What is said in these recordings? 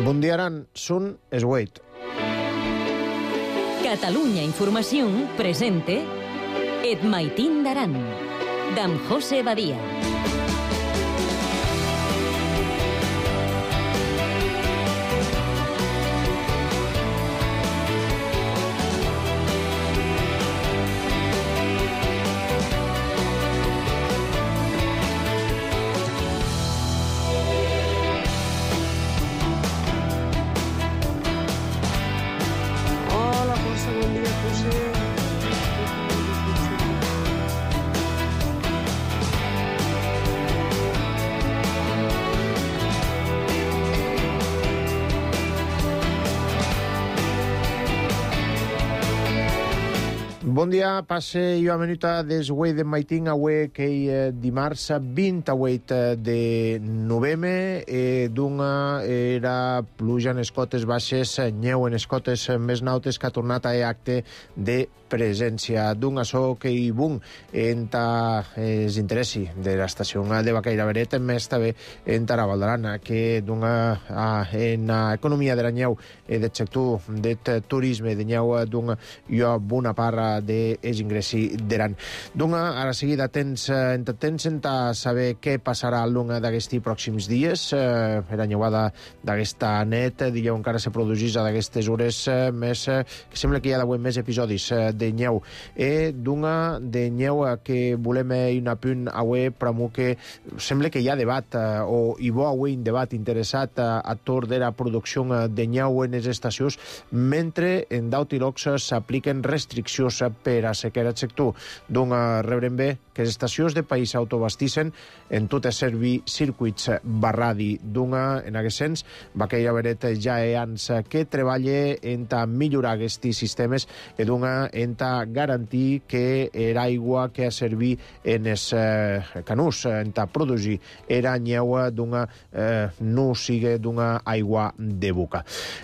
Bon dia, Aran. Sun es Wait. Catalunya Información presente Et Maitín d'Aran, d'en José Badia. Bon dia, passe jo a minuta des Wei de Maitín avui que dimarts 28 de novembre d'una era pluja en escotes baixes, nyeu en escotes més nautes que ha tornat a acte de presència d'un açò que hi bun enta els interessi de l'estació de Bacaira Beret, més també enta la Valdarana, que d'una en economia de la nyeu del sector del turisme de nyeu d'un jo bona part dels ingressi d'Aran. D'una, ara seguida tens a saber què passarà a l'una d'aquests pròxims dies. La nyeuada d'aquesta net, dieu, encara se produís a d'aquestes hores més, que sembla que hi ha d'avui més episodis de nyeu. D'una de nyeu que volem un apunt avui, però que sembla que hi ha debat, o hi va avui un debat interessat a torn de la producció de nyeu en les estacions, mentre en d'Autilox s'apliquen restriccions per a sequera el sector. D'una rebrem bé que les estacions de país autobastissen en tot a servir circuits barradi. D'una, en aquest sens, Bacaira Beret ja ans que treballa en millorar aquests sistemes i d'una en garantir que l'aigua que ha servir en els canús, en produir era nyeu d'una no sigui d'una aigua de boca.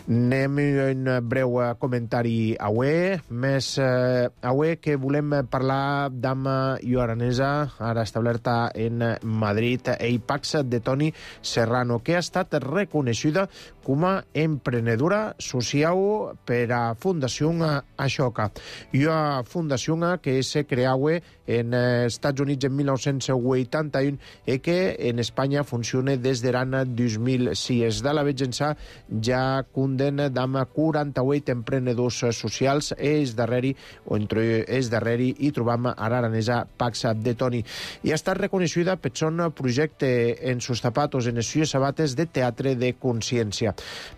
Anem un breu comentari avui, més avui que volem parlar d'ama i aranesa, ara establerta en Madrid, Pax de Toni Serrano, que ha estat reconeixida com a emprenedora social per a Fundació Ashoka. I una fundació que se creava en Estats Units en 1981 i que en Espanya funciona des de l'any 2006. De la vegença ja cunden d'ama 48 emprenedors socials entre els darreri hi trobam a l'aranesa Pax de Toni. I ha estat reconeixida per son projecte en sus zapatos, en les sues sabates de teatre de consciència.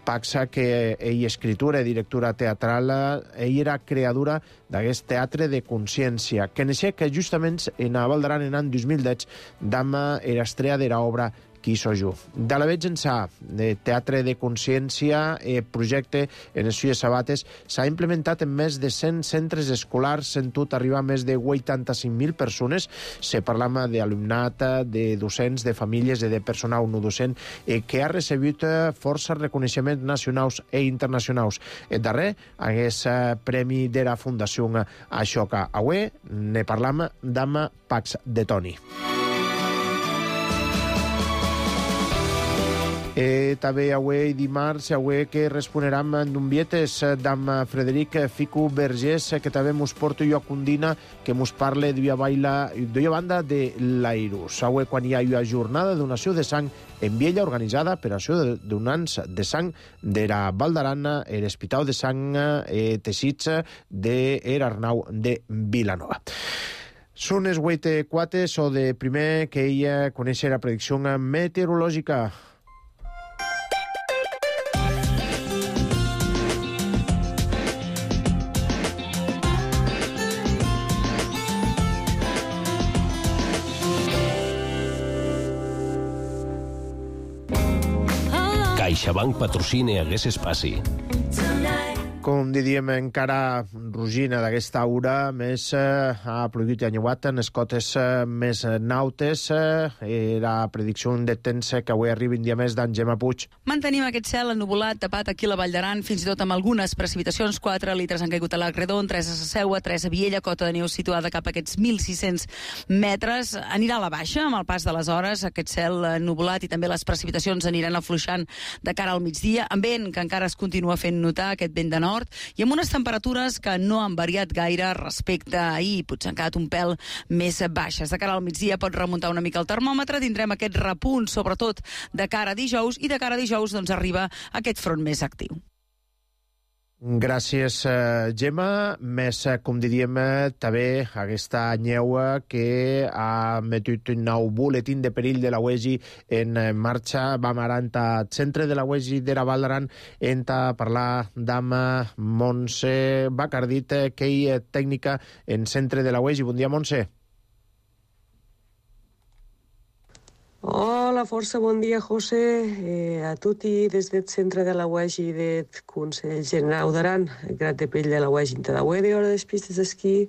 Pax, que ell escritura i directora teatral, ell era creadora d'aquest teatre de consciència, que neixia que justament en a Valdaran en l'any 2010 d'ama era estrella de l'obra Qui soy jo. De la veig ençà de teatre de consciència, projecte en les sues sabates s'ha implementat en més de 100 centres escolars, en tot arribar a més de 85.000 persones. Se parla d'alumnat, de docents, de famílies i de personal no docent, que ha rebut força reconeixements nacionals i internacionals. El darrer és premi de la Fundació Ashoka. Avui ne parlam d'ama Pax de Toni. També avui dimarts, avui que responeram d'un vietes d'am Frederic Fico Vergés, que també mos porta jo a Cundina, que mos parla d'una banda de l'Airus. Avui quan hi ha una jornada de donació de sang en Viella organitzada per això de donants de sang de la Valdarana, l'Hospital de Sang Teixits de l'Arnau de Vilanova. Són els 8:04, o de primer que ella coneix la predicció meteorològica. CaixaBank patrocina Hagués Espaci. Com diríem, encara rugina d'aquesta aura, més ha plogut i anyuat en les cotes més nautes. La predicció de temps que avui arriba un dia més d'en Gemma Puig. Mantenim aquest cel ennuvolat, tapat aquí a la Vall d'Aran, fins i tot amb algunes precipitacions. 4 litres han caigut a l'Agredon, 3 a Sasseua, 3 a Viella, cota de neu situada cap a aquests 1.600 metres. Anirà a la baixa amb el pas de les hores, aquest cel ennuvolat, i també les precipitacions aniran afluixant de cara al migdia, amb vent que encara es continua fent notar, aquest vent de nord, i amb unes temperatures que no han variat gaire respecte a ahir, potser han quedat un pèl més baixes. De cara al migdia pot remuntar una mica el termòmetre, tindrem aquest repunt, sobretot de cara a dijous, i de cara a dijous doncs arriba aquest front més actiu. Gràcies, Gemma. Més, com diríem, també aquesta neu que ha metut un nou buletín de perill de la UEGI en marxa. Vam ara al centre de la UEGI de la Vall d'Aran a parlar amb Montse Bacardit, que és tècnica en centre de la UEGI. Bon dia, Montse. Hola, força bon dia, José. A tutti des del centre de la UEGI del Consell General d'Aran, grat de pell de la UEGI de hora des pistes d'esquí,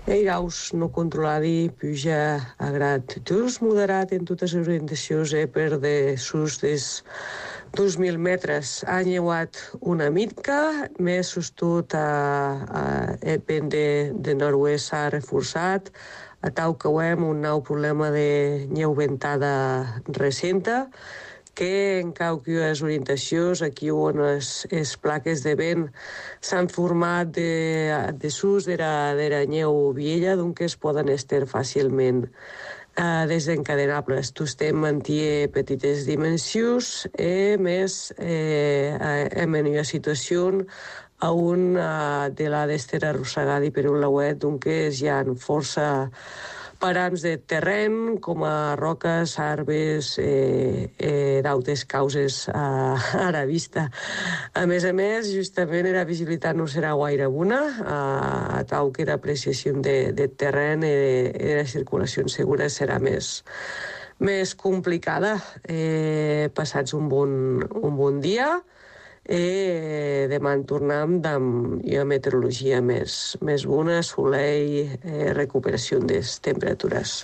airaus no controladi, puja a grat just moderat en totes les orientacions per de sus des 2.000 metres. Ha lleuat una mica, més sostut el vent de nord-oest s'ha reforçat, a tau que veiem un nou problema de neu ventada recenta, que en qualques orientacions, aquí on les plaques de vent s'han format de sus de la neu vella, doncs es poden estar fàcilment desencadenables. Tostem manté petites dimensions, més en una situació on de l'ha d'estar arrossegada per un lauet, doncs hi ha força params de terreny, com a roques, arbres, d'altres causes a la vista. A més, justament la visibilitat no serà gaire bona, a tal que l'apreciació de terreny i la circulació segura serà més complicada. Passats un bon dia, demà en tornem amb una meteorologia més bona, soleil, recuperació de les temperatures.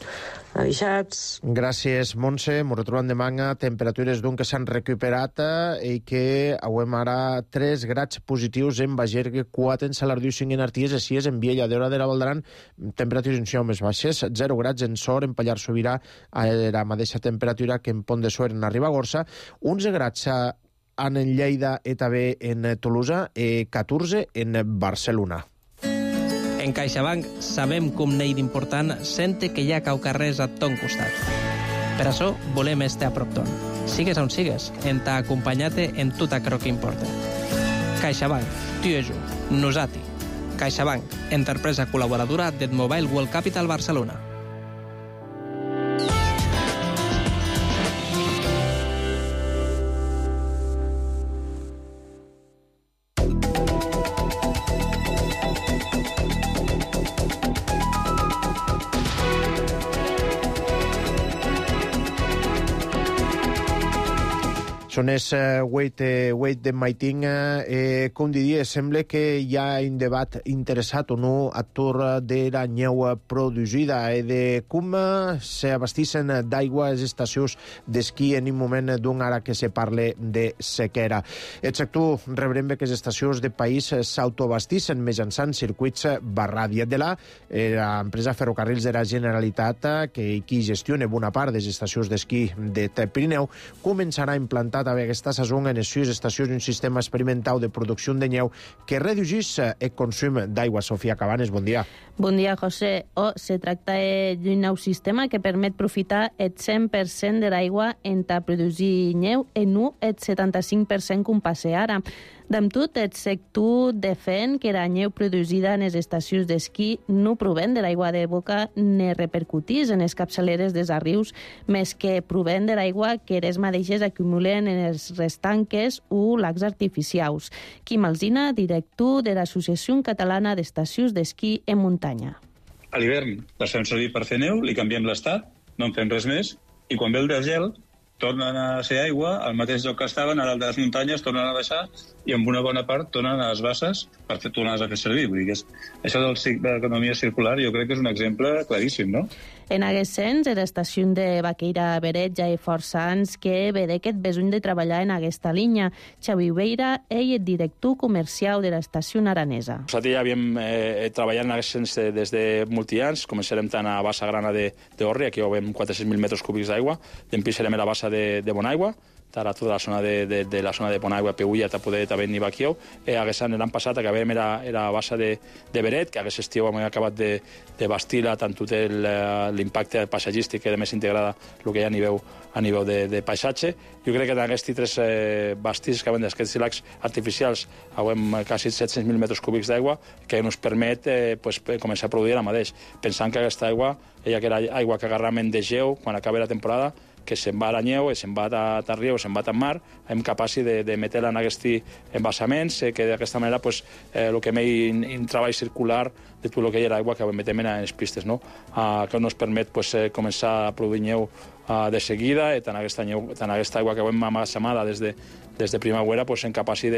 Avisats. Gràcies, Montse. Ens retrobem demà, temperatures que s'han recuperat i que avem ara 3 grads positius en Bagergue, 4 en Salardiu, 5 en Arties, i 6 en Viella. D'hora de la Vall d'Aran, temperatures més baixes, 0 grads en Sor, en Pallars Sobirà, a la mateixa temperatura que en Pont de Suert, en Ribagorça, 11 grads en Lleida i també en Tolosa, 14 en Barcelona. En CaixaBank sabem com n'hi d'important sente que hi ha caucarrers a ton costat. Per això volem estar a prop ton. Sigues on sigues, en ta acompanyat en tot aquello que importa. CaixaBank, tu i jo, nosati. CaixaBank, empresa col·laboradora del Mobile World Capital Barcelona. Són els Wait de Maiting. Com diria, sembla que hi ha un debat interessat o no a tour de la neu producida i de com s'abastixen d'aigua les estacions d'esquí en un moment d'un ara que se parla de sequera. El sector rebrem que les estacions de país s'autoabastixen mitjançant circuits barràdia de l'empresa Ferrocarrils de la Generalitat, que qui gestiona bona part de les estacions d'esquí de Pirineu, començarà a implantar també aquesta saison en les 6 estacions un sistema experimental de producció de neu que reduïssis el consum d'aigua. Sofia Cabanes, bon dia. Bon dia, José. Se tracta d'un nou sistema que permet aprofitar el 100% de l'aigua en ta produir neu i no el 75% com passa ara. D'amb tot, el sector defèn que la neu producida en les estacions d'esquí no proven de l'aigua de boca ni repercutís en les capçaleres dels arrius, més que proven de l'aigua que les mateixes acumulen en els restanques o lacs artificials. Quim Alsina, director de l'Associació Catalana d'Estacions d'Esquí en Muntanya. A l'hivern les fem servir per fer neu, li canviem l'estat, no en fem res més, i quan ve el desgel tornen a ser aigua, al mateix lloc que estaven, ara les muntanyes tornen a baixar i amb una bona part tornen a les basses per tornar-les a fer servir. Vull dir que això de l'economia circular jo crec que és un exemple claríssim, no? En aquest sens, l'estació de Baqueira Beret ja hi força anys que ve d'aquest besony de treballar en aquesta línia. Xavi Beira, ell és director comercial de l'estació aranesa. Nosaltres ja havíem treballat en aquest sens des de molts anys. Començarem tant a Bassa Grana d'Orri, aquí hi haurem 400.000 metres cúbics d'aigua, i empissarem a la bassa de Bonaigua, a tota la zona de la zona de Bonaigua, Peulla, Tapoder, també ni Baquió. L'any passat acabem era a bassa de Beret, que aquest estiu hem acabat de bastir-la, tant tot l'impacte paisatgístic que més integrada el que hi ha a nivell de paisatge. Jo crec que en aquests tres bastits que venen d'aquests llacs artificials hem quasi 700.000 metres cúbics d'aigua que ens permet començar a produir ara mateix, pensant que aquesta aigua, ella que era aigua que agarrament de geu quan acabi la temporada, que se'n va a la neu, se'n va a riu, se'n va a mar, hem capaç de metre-la en aquests embassaments, que d'aquesta manera el que m'he un treball circular de tot el que hi era aigua que metem en les pistes, no? Que ens permet començar a produir neu de seguida, i tant aquesta aigua que hem amassamada des de primavera som capaços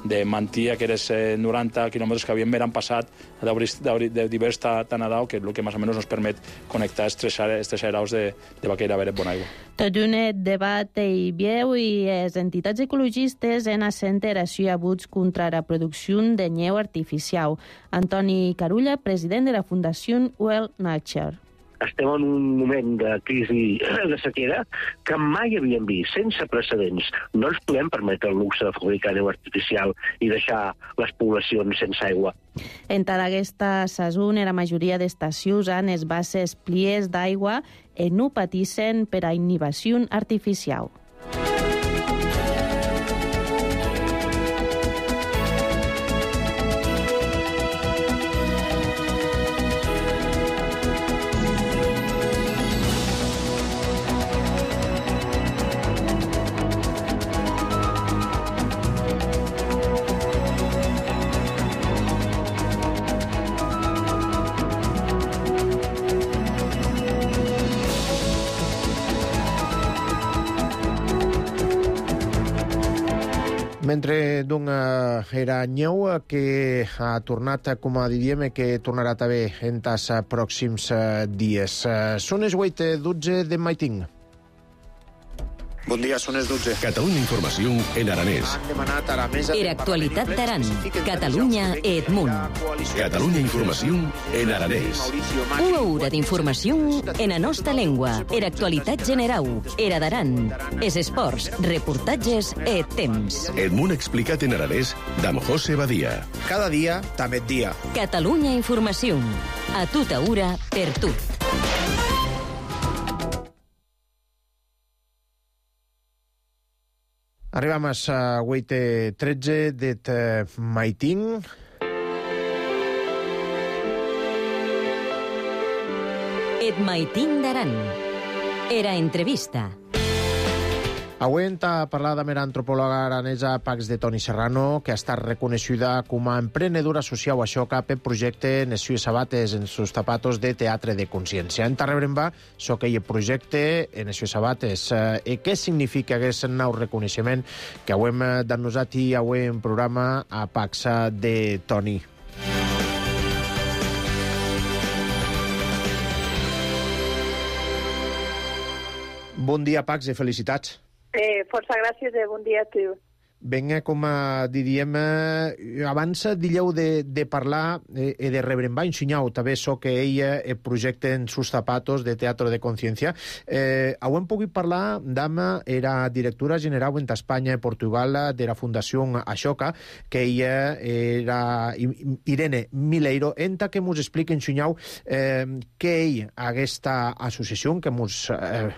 de mantenir aquests 90 quilòmetres que havíem l'any passat de divers tan a dalt, que és el que més o menys ens permet connectar aquests aerous de Baqueira Beret Bonaigua. Tot un debat hi vieu i les entitats ecologistes en assenteració abuts contra la producció de neu artificial. Antoni Carulla, president de la Fundació Well Nature. Estem en un moment de crisi de sequera que mai havíem vist, sense precedents. No ens podem permetre el luxe de fabricar neu artificial i deixar les poblacions sense aigua. En tota aquesta saison, la majoria d'estacions han les bases plies d'aigua i no patissen per a inhibició artificial. Mentre era neu que ha tornat, com diríem, que tornarà també en els pròxims dies. Són les 8:12 de Maiting. Bon dia, són les 12. Catalunya Informació en aranès. Era actualitat d'Aran, Catalunya e Edmunt. Catalunya Informació en aranès. Una hora d'informació en la nostra llengua. Era actualitat general, era d'Aran. Es esports, reportatges e temps. Edmunt explicat en aranès d'Am José Badia. Cada dia, també dia. Catalunya Informació. A tota hora, per tu. Arribam a 8:13 de Maiting. Et Maiting d'Aran. Era entrevista. Avui hem de parlar amb l'antropòloga aranesa Pax de Toni Serrano, que ha estat reconeguda com a emprenedora social a Xoca per projecte Nes sues sabates en sus zapatos de teatre de consciència. En Tarrebremba, so que hi projecte en Nes sues sabates. I què significa aquest nou reconeixement que avui hem d'annosat i avui en programa a Pax de Toni? Bon dia, Pax, i felicitats. Força gràcies i bon dia a tu. Vinga, com diríem, abans diríeu de parlar i de rebrembar, ensenyau també so que ella projecte en sus zapatos de teatre de consciència. Avui hem pogut parlar d'ama, era directora general en Espanya i Portugal de la Fundació Ashoka, que ella era Irene Mileiro, enta que ens explica, ensenyau, que ell, aquesta associació, que ens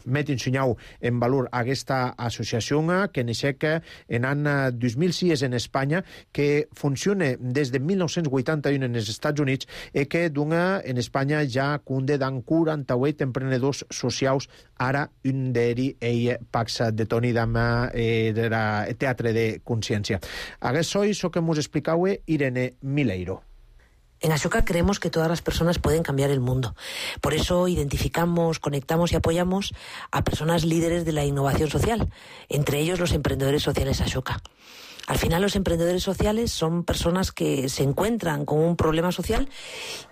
met ensenyau en valor aquesta associació, que neixec en any 2006 en Espanya, que funciona des de 1981 en els Estats Units i que dona en Espanya ja cunde d'en 48 emprenedors socials, ara un d'ells, ell, Pax de Toni, d'ama de teatre de consciència. Aquest sois el que ens explicau Irene Mileiro. En Ashoka creemos que todas las personas pueden cambiar el mundo. Por eso identificamos, conectamos y apoyamos a personas líderes de la innovación social, entre ellos los emprendedores sociales Ashoka. Al final, los emprendedores sociales son personas que se encuentran con un problema social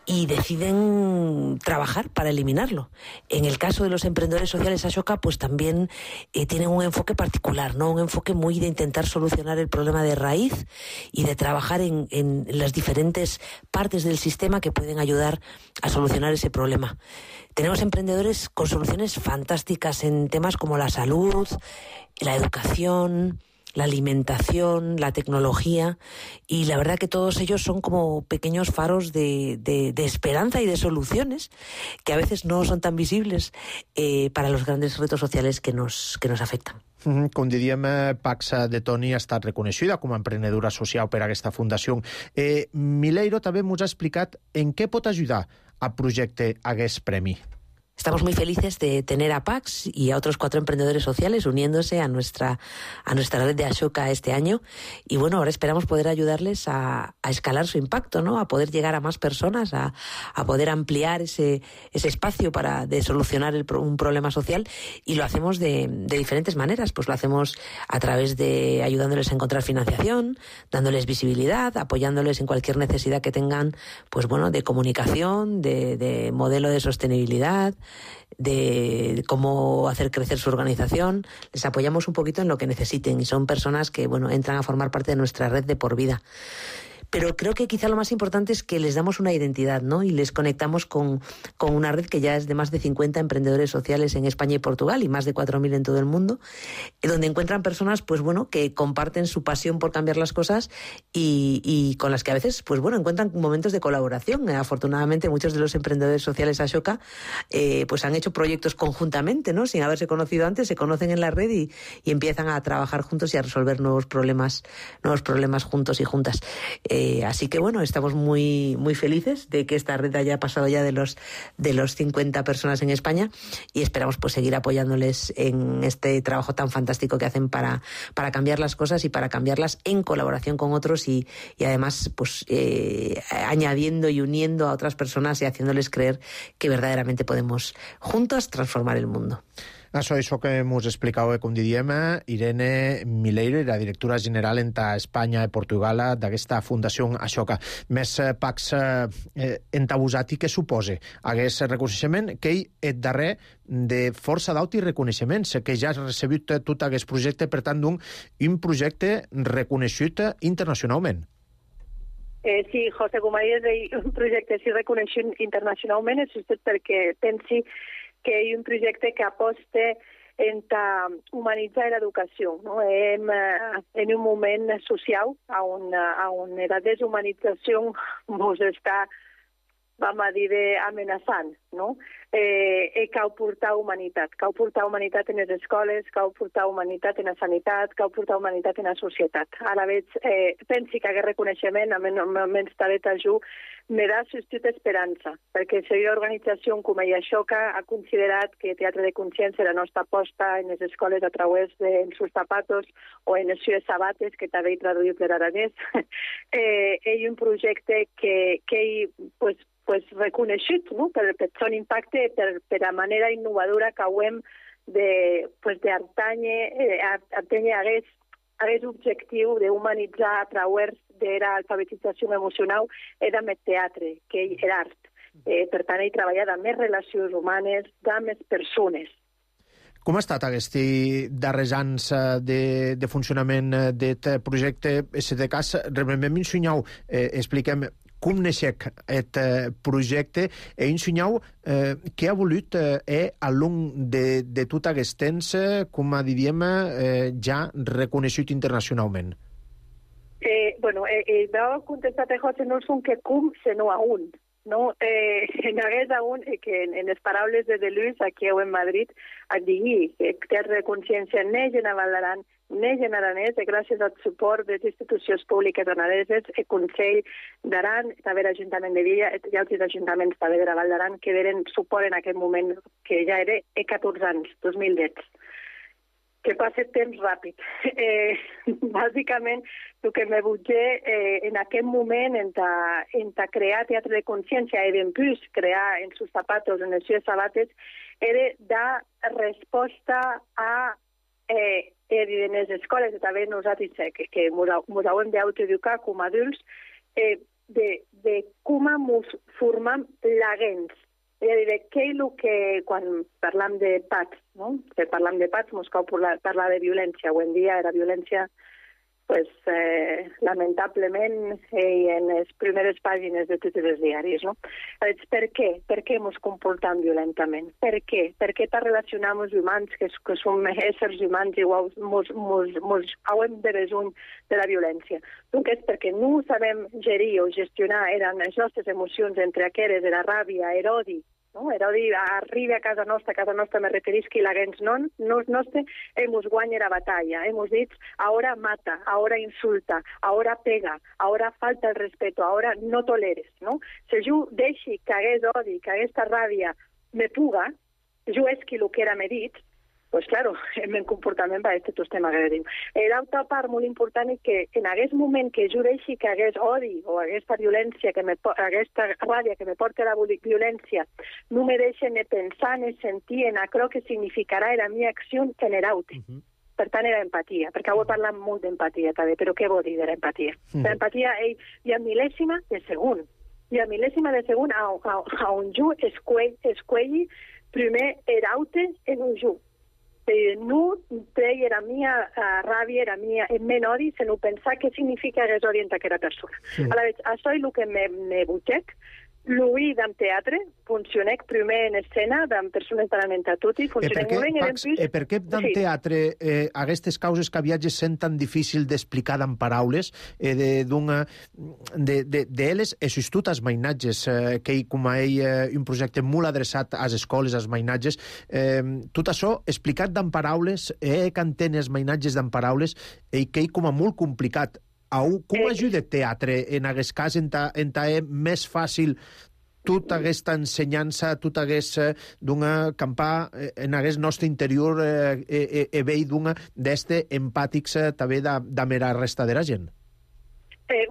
y deciden trabajar para eliminarlo. En el caso de los emprendedores sociales Ashoka, pues también tienen un enfoque particular, ¿no? Un enfoque muy de intentar solucionar el problema de raíz y de trabajar en las diferentes partes del sistema que pueden ayudar a solucionar ese problema. Tenemos emprendedores con soluciones fantásticas en temas como la salud, la educación, la alimentación, la tecnología, y la verdad que todos ellos son como pequeños faros de esperanza y de soluciones que a veces no son tan visibles para los grandes retos sociales que nos afectan. Com diríem, Pax de Toni ha estat reconeixida com a emprenedora social per aquesta fundació. Mileiro també ens ha explicat en què pot ajudar a projecte aquest premi. Estamos muy felices de tener a Pax y a otros 4 emprendedores sociales uniéndose a nuestra red de Ashoka este año. Y bueno, ahora esperamos poder ayudarles a escalar su impacto, ¿no? A poder llegar a más personas, a poder ampliar ese espacio de solucionar un problema social. Y lo hacemos de diferentes maneras. Pues lo hacemos a través de ayudándoles a encontrar financiación, dándoles visibilidad, apoyándoles en cualquier necesidad que tengan, pues bueno, de comunicación, de modelo de sostenibilidad, de cómo hacer crecer su organización. Les apoyamos un poquito en lo que necesiten y son personas que, bueno, entran a formar parte de nuestra red de por vida. Pero creo que quizá lo más importante es que les damos una identidad, ¿no? Y les conectamos con una red que ya es de más de 50 emprendedores sociales en España y Portugal y más de 4.000 en todo el mundo, donde encuentran personas, pues bueno, que comparten su pasión por cambiar las cosas y con las que a veces, pues bueno, encuentran momentos de colaboración. Afortunadamente, muchos de los emprendedores sociales Ashoka pues han hecho proyectos conjuntamente, ¿no? Sin haberse conocido antes, se conocen en la red y empiezan a trabajar juntos y a resolver nuevos problemas juntos y juntas. Así que bueno, estamos muy, muy felices de que esta red haya pasado ya de los 50 personas en España y esperamos pues seguir apoyándoles en este trabajo tan fantástico que hacen para cambiar las cosas y para cambiarlas en colaboración con otros y además pues añadiendo y uniendo a otras personas y haciéndoles creer que verdaderamente podemos juntos transformar el mundo. Això que ens explicava, com diríem, Irene Mileiro, la directora general entre Espanya i Portugal d'aquesta Fundació Ashoka. Més Pax entabusat i què suposa aquest reconeixement que és darrer de força d'aut i reconeixements, que ja has recebut tot aquest projecte, per tant, un projecte reconegut internacionalment. Sí, José, com ha dit, un projecte sí reconegut internacionalment, és just perquè pensi que hi ha un projecte que aposta en humanitzar l'educació. No? En un moment social on la deshumanització ens està, vam a dir, amenaçant. No? Cal portar humanitat. Cal portar humanitat en les escoles, cal portar humanitat en la sanitat, cal portar humanitat en la societat. Ara veig, pensi que aquest reconeixement, almenys talet ajú, me da sustit esperança, perquè la organització com a Ashoka ha considerat que Teatre de Consciència, la nostra aposta en les escoles a través de En sus zapatos o en les sues sabates, que també he traduït per aranès, és un projecte que pues reconeixut, no? per el seu impacte, per la manera innovadora que hem d'atènyer aquest objectiu d'humanitzar a través de l'alfabetització emocional era amb el teatre, que és l'art. Per tant, he treballat amb més relacions humanes, amb més persones. Com ha estat aquests darrers anys de funcionament d'aquest projecte? En aquest cas, realment m'ensenyeu, expliquem com neixec aquest projecte i ensenyeu què ha volut a long de tot aquest temps, com diríem, ja reconegut internacionalment. Bueno, vau contestar a José, no són que com, sinó a un. No, en aquest aún, que en les paraules de Deleuze, aquí en Madrid, et digui que Teatre de Consciència neix en Val d'Aran, neix en aranès, gràcies al suport de les institucions públiques araneses, el Consell d'Aran, també l'Ajuntament de Villa i altres ajuntaments també de la Val d'Aran, que donen suport en aquest moment, que ja era 14 anys, 2010. que passe temps ràpid. Bàsicament, el que me butgé en aquest moment en crear teatre de consciència i d'empús crear en sus zapatos, en els seus sabates, era dar resposta a en les escoles, i també nosaltres que ens hauem d'autoeducar com a adults, de com ens formam l'agents. És a dir, què és el que, quan parlam de PATS, no? Que parlam de PATS, ens cal parlar de violència. Avui en dia era violència, pues, lamentablement, en les primeres pàgines de tots els diaris, no? Per què? Per què ens comportam violentament? Per què? Per què t'ha relacionat amb els humans, que som éssers humans iguals, ens hauem de besuny de la violència? Donc és perquè no sabem gerir o gestionar les nostres emocions entre aquelles, la ràbia, l'odi, no? L'odi arriba a casa nostra me referisc que l'agents nostre ens guanya la batalla. Hemos dit, ahora mata, ahora insulta, ahora pega, ahora falta el respeto, ahora no toleres, no? Si jo deixi que hagués odi, que aquesta ràbia me puga, jo és que el que era me dit, pues claro, el meu comportament va ser tot estem agressiu. L'altra part molt important és que en aquest moment que jo deixi que hagués odi o aquesta violència, aquesta ràbia que me porta la violència, no me deixen de pensar ni sentir en allò que significarà la meva acció en l'altre. Per tant, era empatia, perquè avui parlam molt d'empatia també, però què vol dir de l'empatia? L'empatia hi ha mil·lèsima de segon. Hi ha mil·lèsima de segon on jo escuelli primer l'altre en un jo. No treia la meva ràbia, el meu odi, sinó pensar què significa hagués odi en aquella persona. Això és el que me butxec. L'ull d'en teatre, funcionec primer en escena, d'en persones talament a tutti, funcionec molt bé. Per què d'en teatre aquestes causes que viatges sent tan difícil d'explicar d'en paraules, d'elles és tot els mainatges, que com a ell un projecte molt adreçat a les escoles, als mainatges, tot això explicat d'en paraules, que entén els mainatges d'en paraules, i que és com a molt complicat. Com ajuda el teatre en aquest cas en més fàcil tota aquesta ensenyança, tota aquesta campar en aquest nostre interior veig d'este empàtics també de la resta de la gent?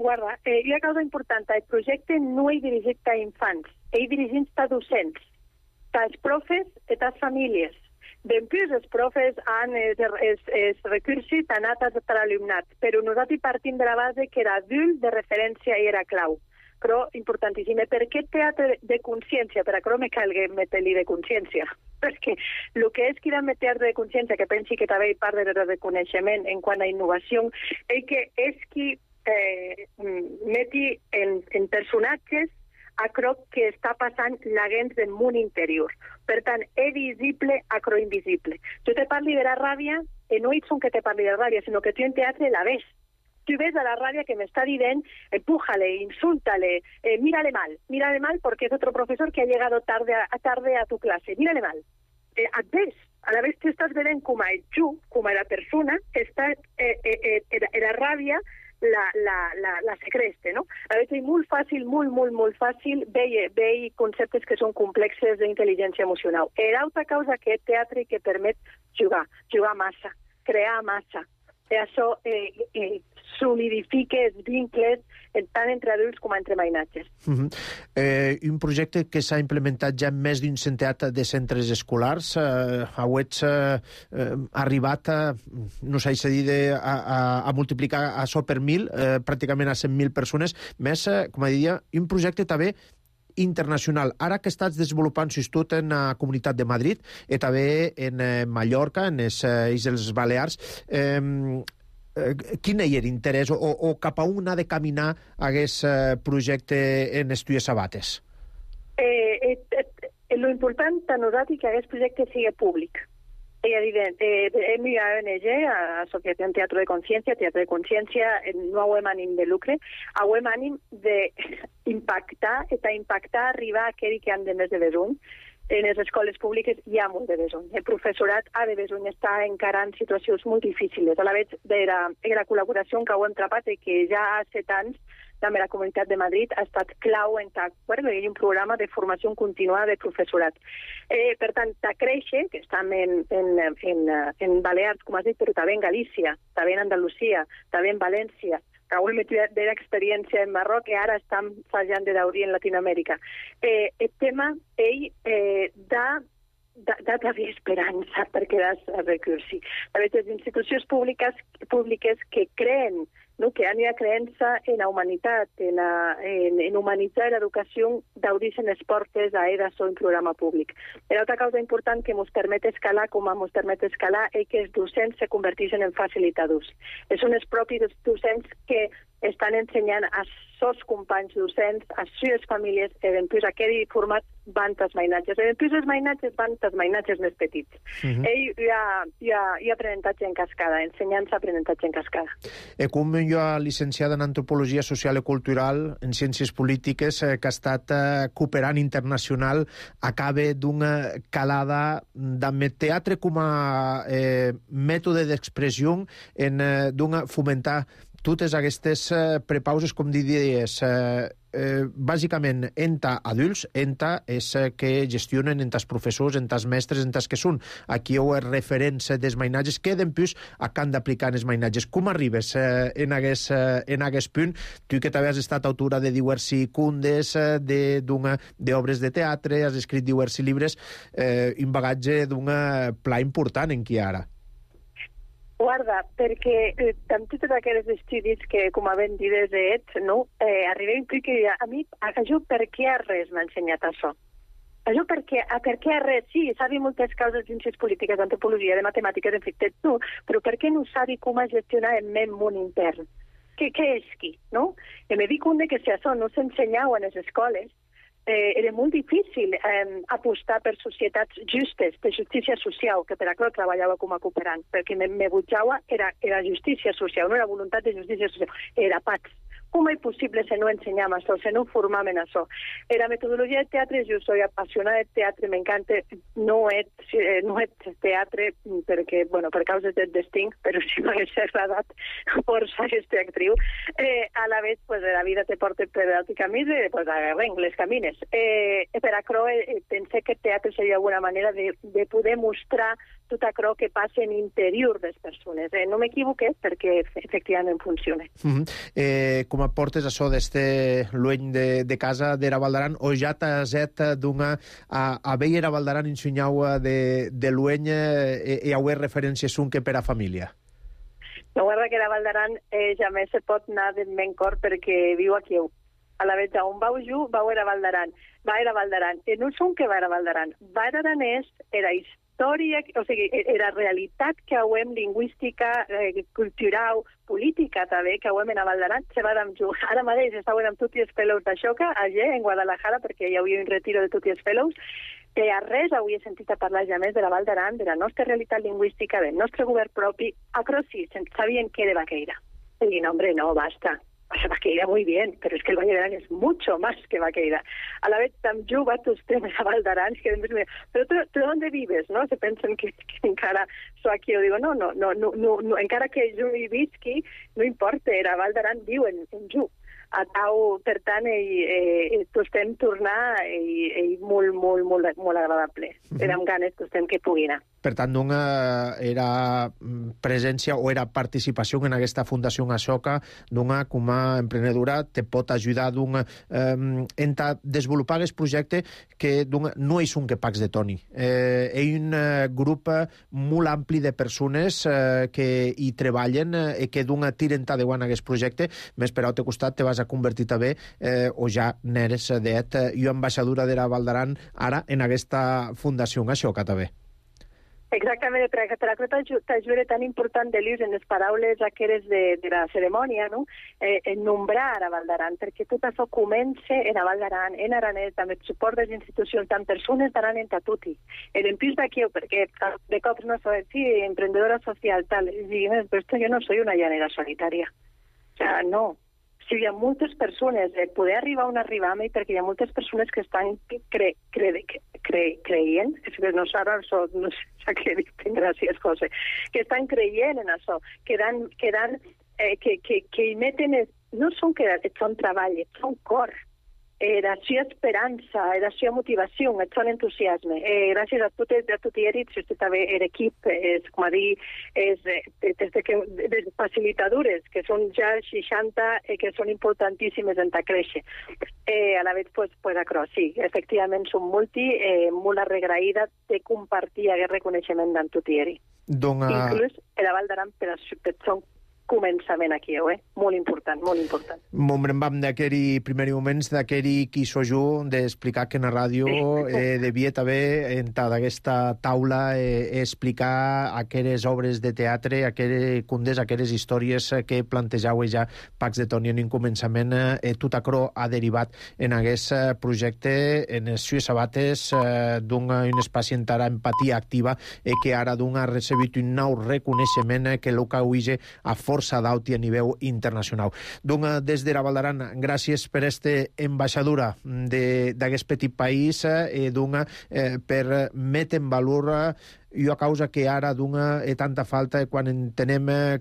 Guarda, hi ha una cosa important. El projecte no és dirigit a infants, és dirigit a docents, als profes i a les famílies. D'empús, els profes han els recursos anat a l'alumnat, però nosaltres partim de la base que l'adult de referència era clau. Però, importantíssim, per què teatre de consciència? Per això me calgui metre-li de consciència. Perquè el que és que de teatre de consciència, que pensi que també hi part de reconeixement en quant a innovació, és que meti en personatges allò que està passant l'agent del món interior. Per tant, és visible allò invisible. Jo te parli de la ràbia, i no ets que te parli de la ràbia, sinó que tu en teatre la ves. Tu ves a la ràbia que m'està dient, empújale, insúltale, mírale mal porque es otro profesor que ha llegado tarde a tu clase, mírale mal. Et ves, a la vez tu estàs veient com a tu, com a la persona, està la ràbia la secreste, no? A veure, és molt fàcil, molt fàcil veure conceptes que són complexes d'intel·ligència emocional. L'altra causa que és teatre que permet jugar massa, crear massa. I això solidifica els vincles tant entre adults com entre mainatges. Un projecte que s'ha implementat ja en més d'un centenar de centres escolars. Hauets arribat no s'ha dit a multiplicar això per 1.000, pràcticament a 100.000 persones, més, com diria, un projecte també internacional. Ara que estàs desenvolupant tot en la Comunitat de Madrid i també en Mallorca, en les Illes Balears, quin és l'interès o cap a on ha de caminar aquest projecte en Estudis Sabates? L'important a nosaltres que aquest projecte sigui públic. És evident, hem a ONG, Associació Teatre de Consciència, no hauem ànim de lucre, hauem ànim d'impactar, arribar a aquell que han de més de besuny. En les escoles públiques hi ha molt de besuny. El professorat ha de besuny, està encarant situacions molt difícils. A la vegada de la col·laboració que ho hem trapat i que ja ha 7 anys també la Comunitat de Madrid, ha estat clau en un programa de formació continuada de professorat. Per tant, a créixer, que estem en Balears, com has dit, però també en Galícia, també en Andalusia, també en València, que avui m'he tingut d'experiència en Marroc i ara estem fallant de daurir en Latinoamèrica. El tema, d'haver esperança per quedar a recursi. Les institucions públiques que creen, que han una creença en la humanitat, en humanitzar l'educació, d'obrir-se les portes a EDASO en programa públic. Una altra causa important que ens permet escalar, com ens permet escalar, és que els docents se converteixen en facilitadors. Són els propis docents que estan ensenyant a sos companys docents, a les famílies, i després aquest format van als mainatges. I després els mainatges van als mainatges més petits. Hi ha aprenentatge en cascada, ensenyança, aprenentatge en cascada. Com jo, licenciada en Antropologia Social i Cultural, en Ciències Polítiques, que ha estat cooperant internacional, acaba d'una calada amb el teatre com a mètode d'expressió en fomentar totes aquestes prepauses, com diries, bàsicament enta adults, enta és que gestionen enta els professors, enta els mestres, enta els que són aquí o els referents dels mainatges, que després han d'aplicar els mainatges. Com arribes en aquest punt? Tu que també has estat autora de diversos contes, d'obres de teatre, has escrit diversos llibres, un bagatge d'un pla important en qui ara. Guarda, perquè amb tots aquests estudis que, com havent dit des d'ets, arribem que a mi, jo per què a res m'ha ensenyat això? Jo per què a res? Sí, sabi moltes causes de ciències polítiques, d'antropologia, de matemàtiques, en fi, tu, però per què no sabi com gestionar el meu món intern? Què és qui, no? I me dic que si això no s'ensenyava a les escoles, era molt difícil apostar per societats justes, per justícia social, que per això treballava com a cooperant, perquè me butjava era justícia social, no era voluntat de justícia social, era pax. Com és possible si no ensenyam això, si no formam en això? La metodologia de teatre, jo soy apassionada de teatre, m'encanta, no és teatre perquè, per causes del destí, però si m'hagués agradat forçar aquesta actriu. A la vegada, la vida te porta per altres camins, les camines. Per això pensé que el teatre seria una manera de poder mostrar tot això que passa en l'interior de les persones. No m'equivoqué perquè efectivament funciona. Com aportes això d'este lueny de casa d'Era Valdaran, o ja t'has a veure Era Valdaran ensenyau de lueny i a referències que per a família? No, guarda que Era Valdaran ja més se pot anar del meu cor perquè viu aquí. A la vegada, on vau jo, vau Era Valdaran. Va Era Valdaran. No són que va Era Valdaran. Va Aranès era història, o sigui, era realitat que hauem lingüística, cultural, política també, que hauem en Valdaran, se va amb jo. Ara mateix estaven amb tots els fellows d'Aixoca, allà en Guadalajara, perquè hi havia un retiro de tots els fellows, que a res havia sentit a parlar ja més de la Valdaran, de la nostra realitat lingüística, del nostre govern propi. Acro sí, sabien què de Vaqueira. I dic, no, hombre, no, basta. Vaqueira muy bien, pero es que el Valle de Arán es mucho más que Vaqueira. A la vez, también va tus temas a Valdarán, que pero tú ¿dónde vives? ¿No? Se piensan que encara soy aquí. Yo digo, no, encara que yo hi visqui, no importa, Era Valdarán viu en jo. A tau, per tant, tostem tornar i molt agradable. Érem ganes, tostem que pugui anar. Per tant, era presència o era participació en aquesta Fundació Ashoka, com a emprenedora te pot ajudar a desenvolupar aquest projecte que no és un que pacs de Toni. És un grup molt ampli de persones que hi treballen i que tiren endavant aquest projecte. Més per al teu costat te vas a convertir també, o ja n'eres jo ambaixadora d'Era Valdaran ara en aquesta Fundació Ashoka també. Exactament, per això t'ajuda tan important de l'ús en les paraules aquelles de la cerimònia, no? En nombrar a Valdaran, perquè tot això comença en Valdaran, en aranès, amb el suport de les institucions, tant persones d'aran en tatuti. En plus d'aquí, perquè de cops no soy, sí, emprendedora social, tal, però jo no soy una llanera solitària. O sea, no. Si hi ha moltes persones, poder arribar on arribam, perquè hi ha moltes persones que estan creient, no s'ha dit, gràcies, José, que estan creient en això, que hi meten no són que et són treball, et són cor. Era sua esperança, era sua motivació, et són entusiasme. Gràcies a tot Eric, si vostè també era equip, com a dir, des facilitadores, que són ja 60, que són importantíssimes en ta créixer. A la vegada, pues acro, sí, efectivament, som molt arregraïda de compartir aquest reconeixement d'en tot Eric. Inclús la Val d'Aran per són començament aquí, molt important, molt important. M'embrembam d'aquells primers moments, d'aquell qui sojú d'explicar que en la ràdio devia també entrar d'aquesta taula explicar aquelles obres de teatre, aquelles condes, aquelles històries que plantejau ja Pacs de Toni en un començament. Tot acro ha derivat en aquest projecte en les sues sabates d'un espai entara empatia activa que ara ha recebut un nou reconeixement que l'Oca uige a força d'auti a nivell internacional. Donc, des de la Val d'Aran, gràcies per aquesta ambaixadura d'aquest petit país per metre en valor una causa que ara tanta falta quan entenem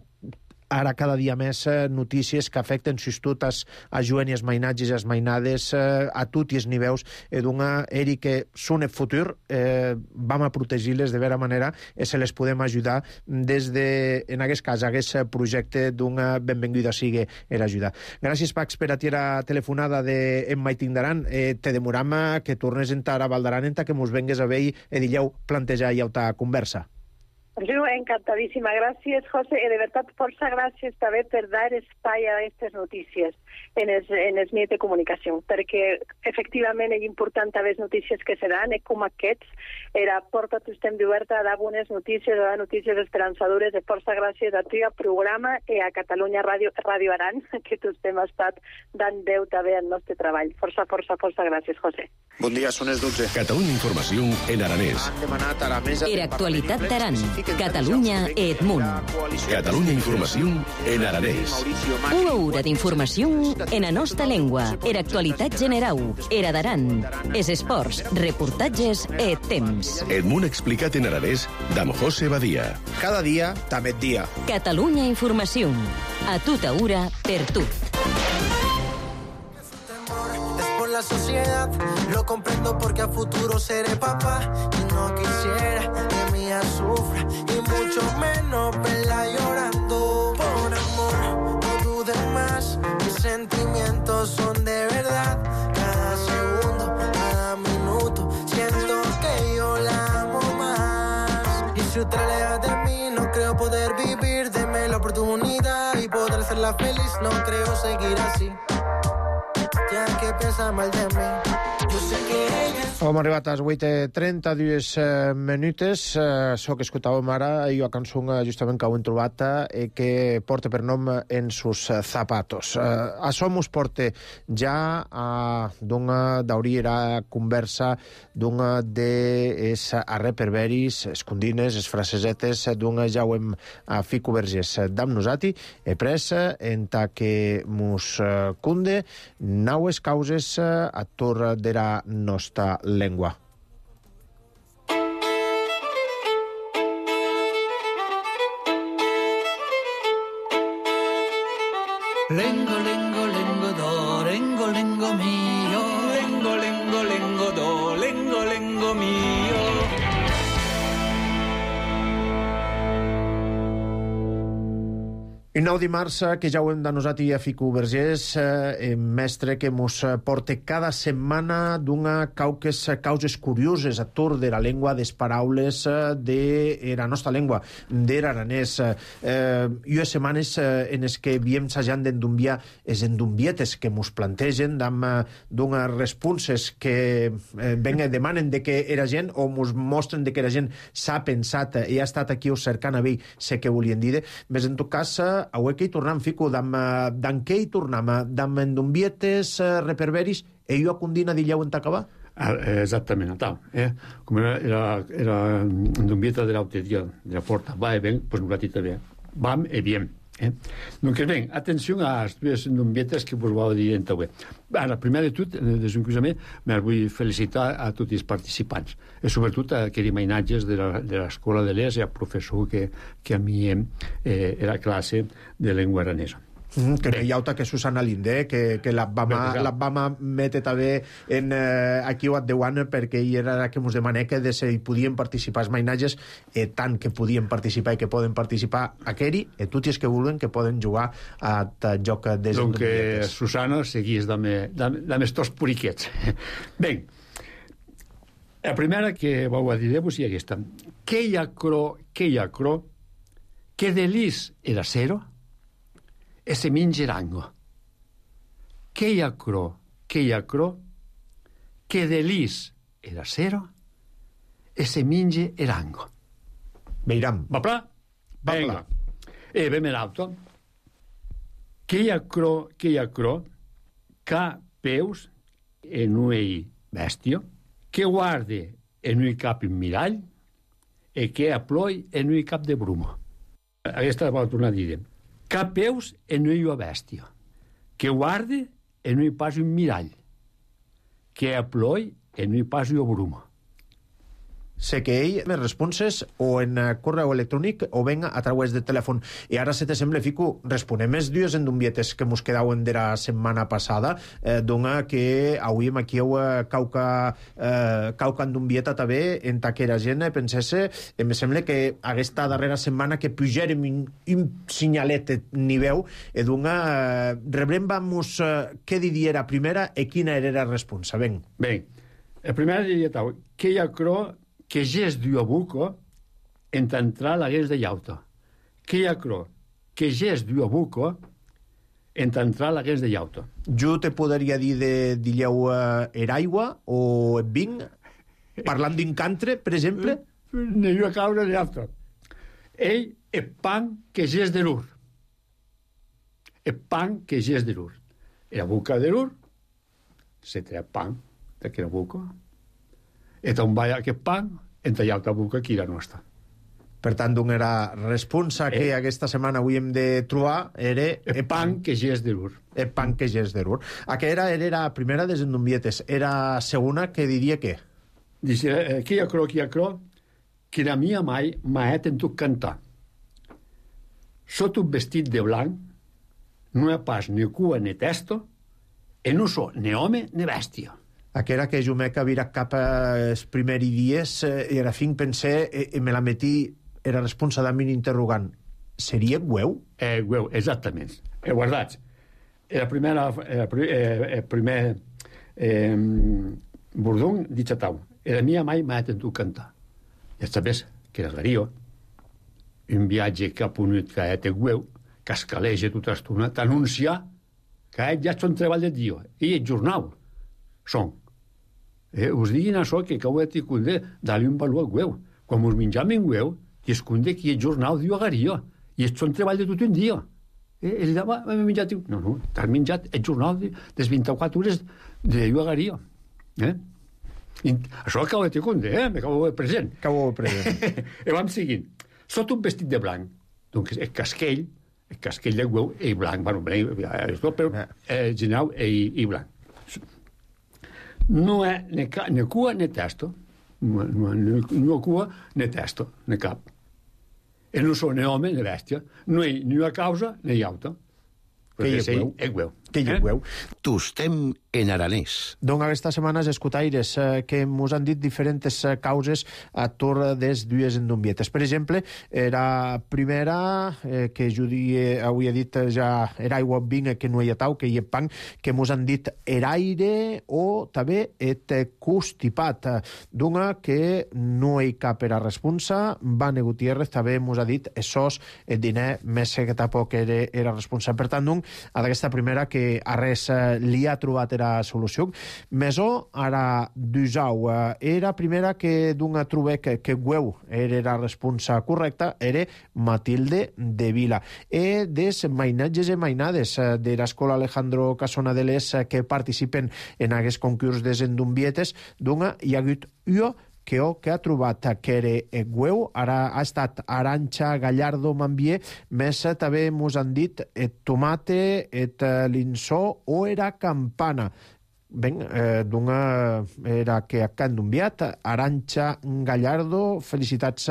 ara cada dia més notícies que afecten sobretot a joves i els mainats i les mainades a tots els nivells Eric, que són el futur, vam a protegir-les de vera manera i se les podem ajudar des de, en aquest cas, aquest projecte benvinguda sigui l'ajuda. Gràcies, Pacs, per a la telefonada d'en Maiting d'Aran. Te demoram que tornes a entrar a Val d'Aran que mos vengues a veure i dilleu plantejar ja ta conversa. Jo, encantadíssima. Gràcies, José. De veritat, força gràcies també per dar espai a aquestes notícies en els mitjans de comunicació, perquè efectivament és important també les notícies que se dan, com aquests, era porta tu estem oberta a dar bones notícies, a dar notícies esperançadores. De força gràcies a tu i al programa i a Catalunya Ràdio Aran, que tu estem estat dant veu també al nostre treball. Força gràcies, José. Bon dia, són les 12. Catalunya Informació en aranès. Era actualitat d'Aran. Catalunya et Munt. Catalunya Informació en aranès. Una hora d'informació en la nostra llengua. Era actualitat generau. Era d'Aran. Es esports, reportatges et temps. El Munt explicat en aranès d'amb José Badia. Cada dia, també dia. Catalunya Informació. A tota hora, per tu. La sociedad, lo comprendo porque a futuro seré papá y no quisiera que mi hija sufra y mucho menos verla llorando por amor. No dudes más, mis sentimientos son de verdad. Cada segundo, cada minuto siento que yo la amo más. Y si usted aleja de mí, no creo poder vivir. Deme la oportunidad y poder hacerla feliz. No creo seguir así. Ja que pensa mal de mi. Jo sé que ella... Hem arribat a les 8:32 minutes. Això que escoltàvem ara i una cançó justament que ho hem trobat que porta per nom En sus zapatos. Això mos porta ja a d'obrir la conversa a reperberis, escondines, es frasesetes ja ho hem a Fico Vergés d'am nosati he pres en ta que mos cunde naues causes a torre de la nostra llengua. Lengo, lengo, lengo do, lengo, lengo mio. Lengo, lengo, lengo do, lengo, lengo mio. I 9 dimarts, que ja ho hem denosat a Fico Vergés, mestre que mos porta cada setmana causes curioses a torn de la llengua, des paraules de la nostra llengua, de l'aranès. I unes setmanes en les que viem sajant d'endumbiar les endumbietes que mos plantegen d'unes responses que demanen de que era gent o mos mostren de que la gent s'ha pensat i ha estat aquí cercant a veure sé què volien dir. Més en tot cas, avui que hi tornem, Fico, d'en què hi tornem? D'en endumbietes, reperberis, e jo a condina d'illeu en t'acabar? Esattamente, come era endombieta dell'autorità, della porta, va e ven, pues un ratito bien, vam e bien. Doncs bé, atenció a les dues endombietes que vos vau dir en tauè. Ara, primer de tot, desencursament, me vull felicitar a tots els participants, i sobretot a aquells mainatges de l'escola de l'ES i al professor que a mi era classe de llengua aranesa. Que no hi ha que Susana Linde, que la vama mete també aquí o at Déu perquè hi era que mos demané que de si podien participar els mainatges, tant que podien participar i que poden participar aqueri, i tots els que vulguin que poden jugar a joc des donc Susana seguís amb estos puriquets. Ben, la primera que vau a dir-vos és aquesta. Que hi ha cro, que delis era cero, e se minge rango. Que hi ha cro, que delis era cero, e se minge rango. Veiram. Va pla? Venga. E vem l'auto. Que hi ha cro, ca peus en ui bestio, que guarde en ui cap in mirall, e que aploi en ui cap de brumo. Aquesta la vol tornar a dir. Cap peus en ui bestio, que guarde en ui pas un mirall, que aploi en ui pas un brumo. Sé que ell me responses o en correu electrònic o venga a través de telèfon. I ara, si te sembla, Fico, responem els dues endumbietes que mos quedaven de la setmana passada, dona que avui aquí cauca endumbieta també en taquera gent pensesse, me sembla que aquesta darrera setmana que pujarem un signalet niveu, i dona rebrem vamos què diria primera i quina era la responsa. Ben, la primera diria que hi ha cro que ges d'ua buco entrar la gues de llauta. Que hi ha cro que ges d'ua buco entrar la gues de llauta. Jo te podria dir de dilleu aigua o vin, parlant d'un cantre, per exemple? Ne jo a caure de llauta. Ell és pan que ges de l'ur. És pan que ges de l'ur. La buca de l'ur se té pan d'aquella buca. Et on va aquest pan, entra la boca aquí la nostra. Per tant, una era responsa que aquesta setmana avui hem de trobar era el pan que ges de l'ur. El pan que ges de l'ur. Aquesta era la primera des endumbietes. Era segona que diria què? Dice, que hi ha cro, que la mia mai m'ha tentat cantar. Sot un vestit de blanc, no hi ha pas ni cua ni testo, e no so ni home ni bèstia. Aquera que jo m'he virat cap als primers dies i era fin pensé i me la metí era responsa de mi interrogant. Seria gueu? Gueu, exactament. Guardats. El primer bordón dit tau. La mia mai m'ha tentat cantar. Ja sabés que era gario. Un viatge cap unit que té gueu, que escaleja tota estona, t'anuncia que ja són treball de dia. I el jornal són. Us diguin això que ho he tingut de dar-li un valor gueu. Quan us menjam en gueu, i es conde que el jornal diu agaria. I és un treball de tot un dia. I li dava, m'he menjat. No, t'has menjat el jornal de 24 hores de diu agaria. Això acabo de tingut, m'acabo de present. I vam seguint. Sot un vestit de blanc. Donc el casquell de gueu i blanc. Bueno, però general i blanc. No è né cua né testo, no cua né testo, né cap. E non sono né home né bestia, no hi ni una causa né llauta. Que hi és gueu. Que hi gueu. Tostem en aranès. Donc aquesta setmana els escutaires que mos han dit diferents causes a torre des dues endumbietes. Per exemple, la primera, que jo avui he dit ja era aigua vinga que no hi ha tau, que hi ha pan, que mos han dit eraire o també et constipat. D'una que no hi cap era responsa, Vane Gutiérrez també mos ha dit esos el diner més que tampoc era responsa. Per tant, a d'aquesta primera que a res li ha trobat era solució. Mesó, ara d'usau, era primera que d'una trobé que gueu era la responsa correcta, era Matilde de Vila. E des mainatges i mainades de l'escola Alejandro Casona de les que participen en aquests concurs des endumbietes, d'una hi ha hagut que ha trobat que era gueu, ara ha estat Aranxa Gallardo Mambier, més també mos han dit et tomate, et linsó o era campana. Ben, d'una era que ha endumbit, Aranxa Gallardo, felicitats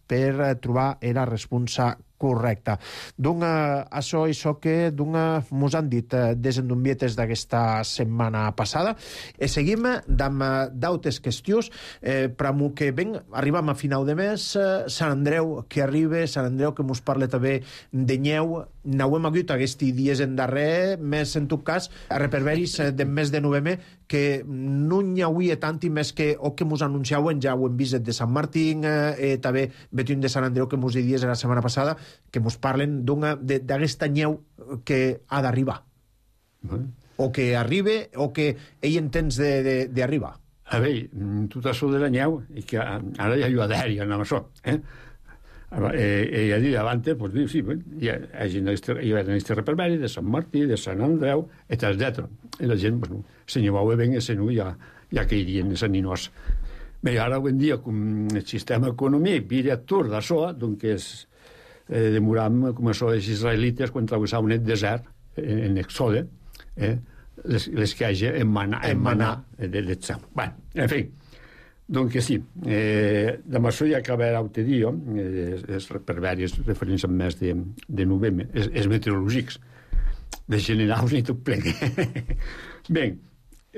per trobar la responsa Correcte. Això que mos han dit des endombietes d'aquesta setmana passada. Seguim d'autes qüestions. Per que arribam a final de mes, Sant Andreu que arriba, Sant Andreu que mos parla també de nyeu. N'hauem hagut aquests dies en darrer, més en tot cas, a reperberis del mes de novembre, que no n'hi hauria tant i més que o que mos anunciauen, ja ho hem vist de Sant Martín, també vetim de Sant Andreu que mos dies la setmana passada, que mos parlen d'aquesta nyeu que ha d'arribar. O que arriba, o que ell entens d'arribar. A veure, tot això de la nyeu, que ara ja hi ha d'haver, amb això, ja dit abans, doncs, sí, hi ha aquest reperberi de Sant Martí, de Sant Andreu, etc. I la gent, se n'hi va ben, ja cairien els ninós. Bé, ara avui en dia, com el sistema econòmic director d'això, doncs demoram, com això, els israelites, quan travessaven el desert, en Exode, les que hagi en manar del cel. Bé, en fi, doncs sí, amb això ja acaba l'altre dia, per diverses referències més de novembre, els meteorològics, de generals i tot ple. Bé,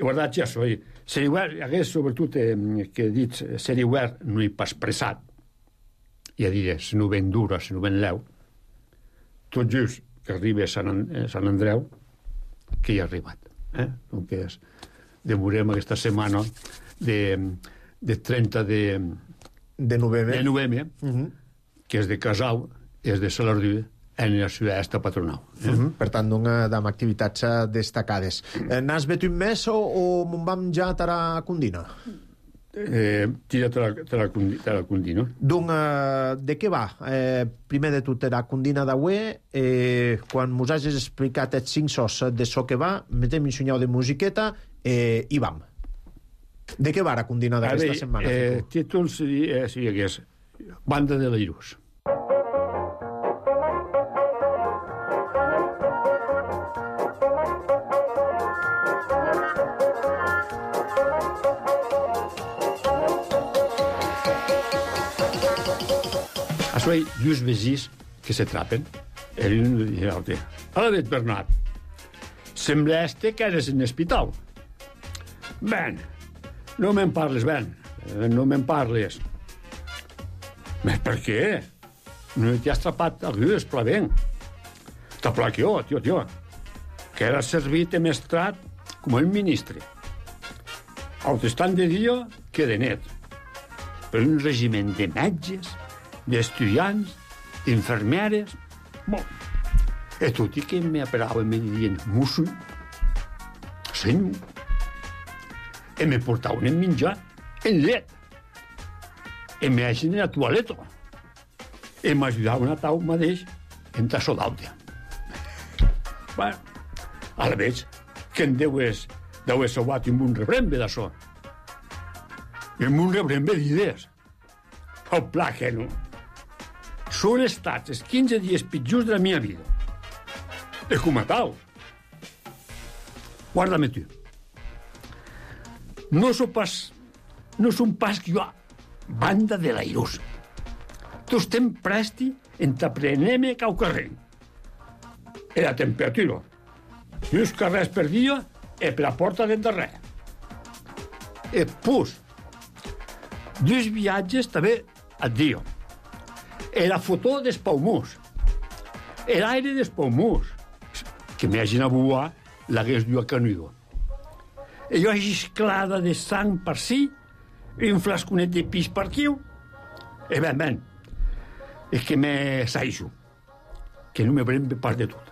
guardat ja això, hagués sobretot que he dit ser hivern no hi pas pressat, ja diré, si no ben dura, si no ben leu, tot just que arriba a Sant Andreu, que hi ha arribat. Donc demorem aquesta setmana de 30 de novembre, que és de Casau, és de Salardú, en la ciutat patronal. Per tant, amb activitats destacades. N'has vet un mes o me'n vam ja a Condina? Tira te la Condina. Donc, de què va? Primer de tot, la Condina d'avui, quan mos hagis explicat els 5 sos de so que va, metem un senyal de musiqueta i vam. De què va la Condina d'aquesta setmana? El títol seria que és Banda de l'Airús. Això hi ha dos vesins que se trapen, l'un i l'altre. Ara vet, Bernat, sembla que eres en l'hospital. Ben, no me'n parles, ben, no me'n parles. Però per què? No t'hi has trapat algú esplavent. T'ha plat jo, tio, que era servit de mestrat com un ministre. Autostant de dia que de net. Per un regiment de metges, d'estudiants, d'infermeres... Bon, e tutti che mi aperaven me dient musso, senyor, e me portaven en menjar en llet, e me hagin en la toaleta, e m'ajudaven a tau mateix en tasso d'alta. Bueno, ara veig que en deu sobat amb un rebrembe d'això. Amb un rebrembe d'idees. El pla que no. Són estats els 15 dies pitjors de la meva vida. E com a tal. Guarda-me tu. No són pas que jo banda de l'airós. Tu estem presti en t'apreneme cau carrer. E la temperatura. 2 carrers per dia e per la porta del darrer. E pus. 2 viatges també al dia. E la foto dels paumurs. E l'aire dels paumurs. Que m'hagin a buar l'hagués dut a canudo. E jo hagi esclada de sang per si, un flasconet de pis per aquí. E ben, és que me saixo. Que no me prem part de tot.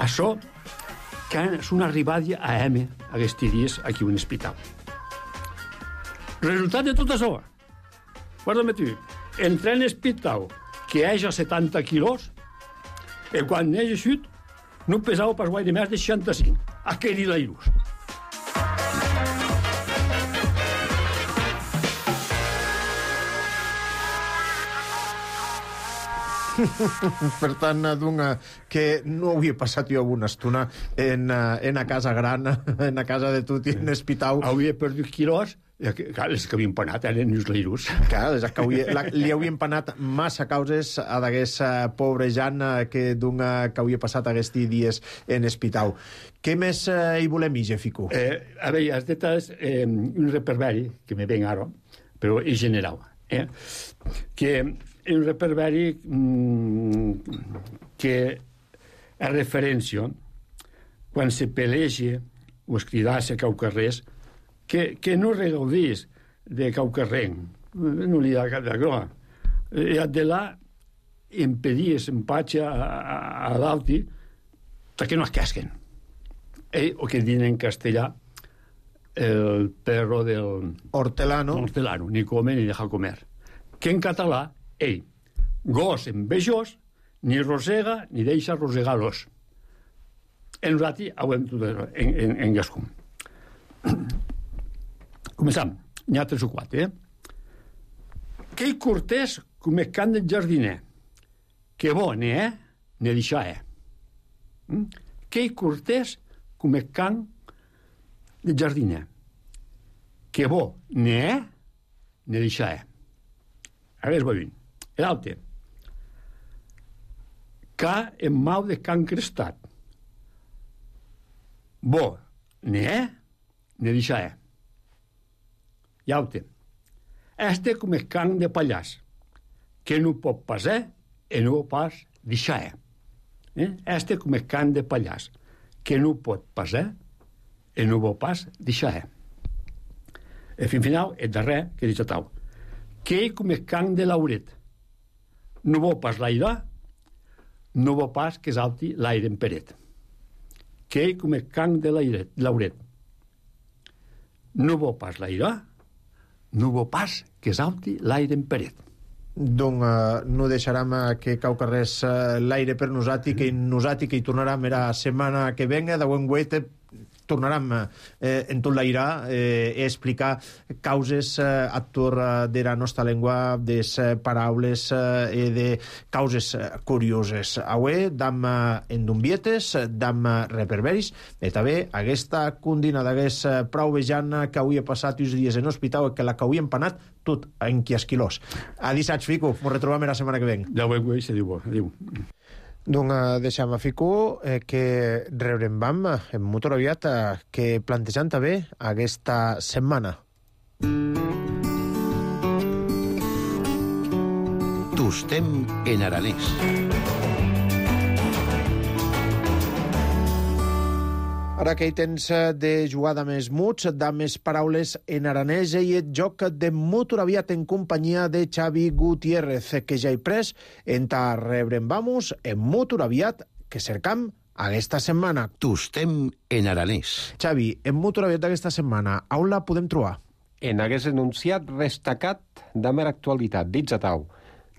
Això que és una arribada a M aquests dies aquí a un hospital. Resultat de tot això. Guarda-me tu, entré en l'hospital que és a 70 quilos i quan he eixut no pesava pas guai de més de 65. Aquell i l'airús. Per tant, que no havia passat jo una estona en a casa gran, en a casa de tot i en l'hospital. Havia perdut quilos Clar, les que havia empanat eren els leiros. Clar, li havia empanat massa causes a d'aquest pobre Jan que havia passat aquests dies en hospital. Què més hi volem, Fico? A veure, has dit un reperberi, que me ven ara, però en general, que un reperberi que a referència quan se peleja o es cridassa cau carrers que no regaudís de cau carrer, no li ha cap de groa. De là impedies empatge a l'alti perquè no es casquen. O que diuen en castellà el perro del... Hortelano. Hortelano, ni come ni deja comer. Que en català, gos envejós, ni rosega ni deixa rosegar l'os. En nosaltres ho hem tot en gascum. Començam. N'hi ha 3 o 4, Que hi cortés com el can del jardiner. Que bo, ne deixar, Que hi cortés com el can del jardiner. Que bo, ne deixar, Ara és bevint. L'altre. Ca en mau de can crestat. Bo, ne deixar, Llaute. Este com el can de pallàs, que no pot passar i no pas deixar. Este com el can de pallàs, que no pot passar i no pot pas deixar. I fin final, el darrer, que dic tau, que ell com el can de l'auret, no vol pas l'aire, no vol pas que salti l'aire en peret. Que ell com el can de l'auret, no vol pas l'aire, no vol pas que salti l'aire en peret. Donc no deixarem que cau carrers l'aire per nosaltres, que nosaltres que hi tornarem la setmana que venga, de buen guet tornarem en tot l'aire a explicar causes actor de la nostra llengua, des paraules i de causes curioses. Avui dam endumbietes, dam reperberis, i també aquesta condina d'aguest prou vejant que avui he passat uns dies en hospital i que la que avui he empanat tot en quiasquilós. Adisats, Fico, ens retrobam la setmana que ven. Ja ho veig, se diu, adiu. Donc deixem a Fico que rebrem en molt aviat que plantejant també aquesta setmana. Tostem en aranès. Ara que hi tens de jugar de més muts, de més paraules en aranès i et joc de molt aviat en companyia de Xavi Gutiérrez, que ja he pres en ta rebrem vamos en molt aviat que cercam aquesta setmana. Tostem en aranès. Xavi, en molt aviat d'aquesta setmana, on la podem trobar? En hagués enunciat destacat de mera actualitat, dits a tau.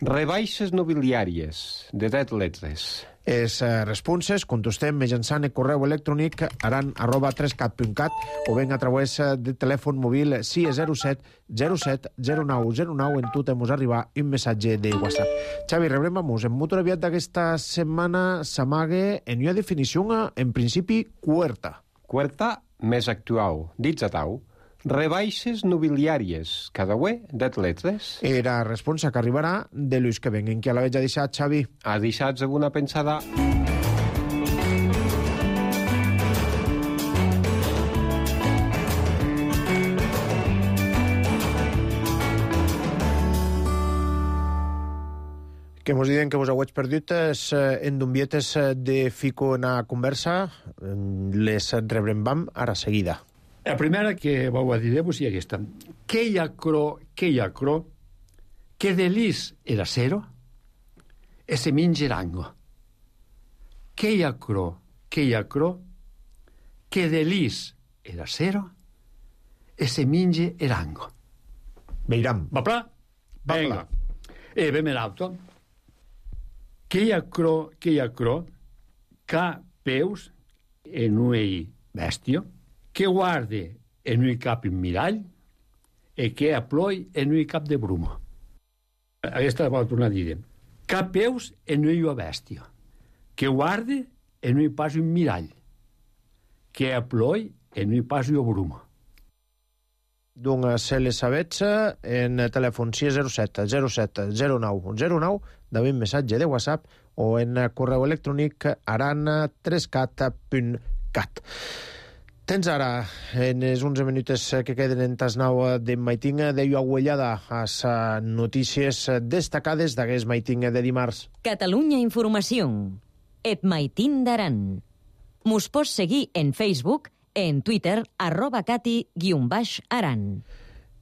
Rebaixes nobiliàries de 10 letres. Les responses contestem mitjançant el correu electrònic aran@3cat.cat o ben a través de telèfon mòbil 607 07 09 09 en tu temos arribar un missatge de WhatsApp. Xavi, rebrem en molt aviat d'aquesta setmana s'amague en una definició en principi cuerta. Cuerta més actual, dits a tau. Rebaixes nobiliàries, cada uè, 10 letres. Era responsa que arribarà de Lluís que venguen, que a la veig ha deixat, Xavi. Ha deixat alguna pensada? Que mos diuen que vos hauets perdut en dumbietes de Fico en a conversa, les rebrem ara seguida. La primera que vau a dir-vos és aquesta. Que hi ha cro, que delis era cero, e se minge erango. Que hi ha cro, que delis era cero, e se minge erango. Veiram. Va pla? Venga. E vem l'alto. Que hi ha cro, ca peus en uei bestio, que guarde en un cap en mirall e que aploi en un cap de bruma. Aquesta la vol tornar a dir. Cap peus en un bèstia, que guarde en un pas un mirall, que aploi en un pas un bruma. d'un Celesabets en telèfon 607 07 09 09, d'un missatge de WhatsApp o en correu electrònic arana3cat.cat. Tens ara, en els 11 minuts que queden en tas 9 de maiting, d'ello aguellada a les notícies destacades d'aquest maiting de dimarts. Catalunya Informació. Et maiting d'Aran. Mos pots seguir en Facebook, en Twitter, @cati_aran.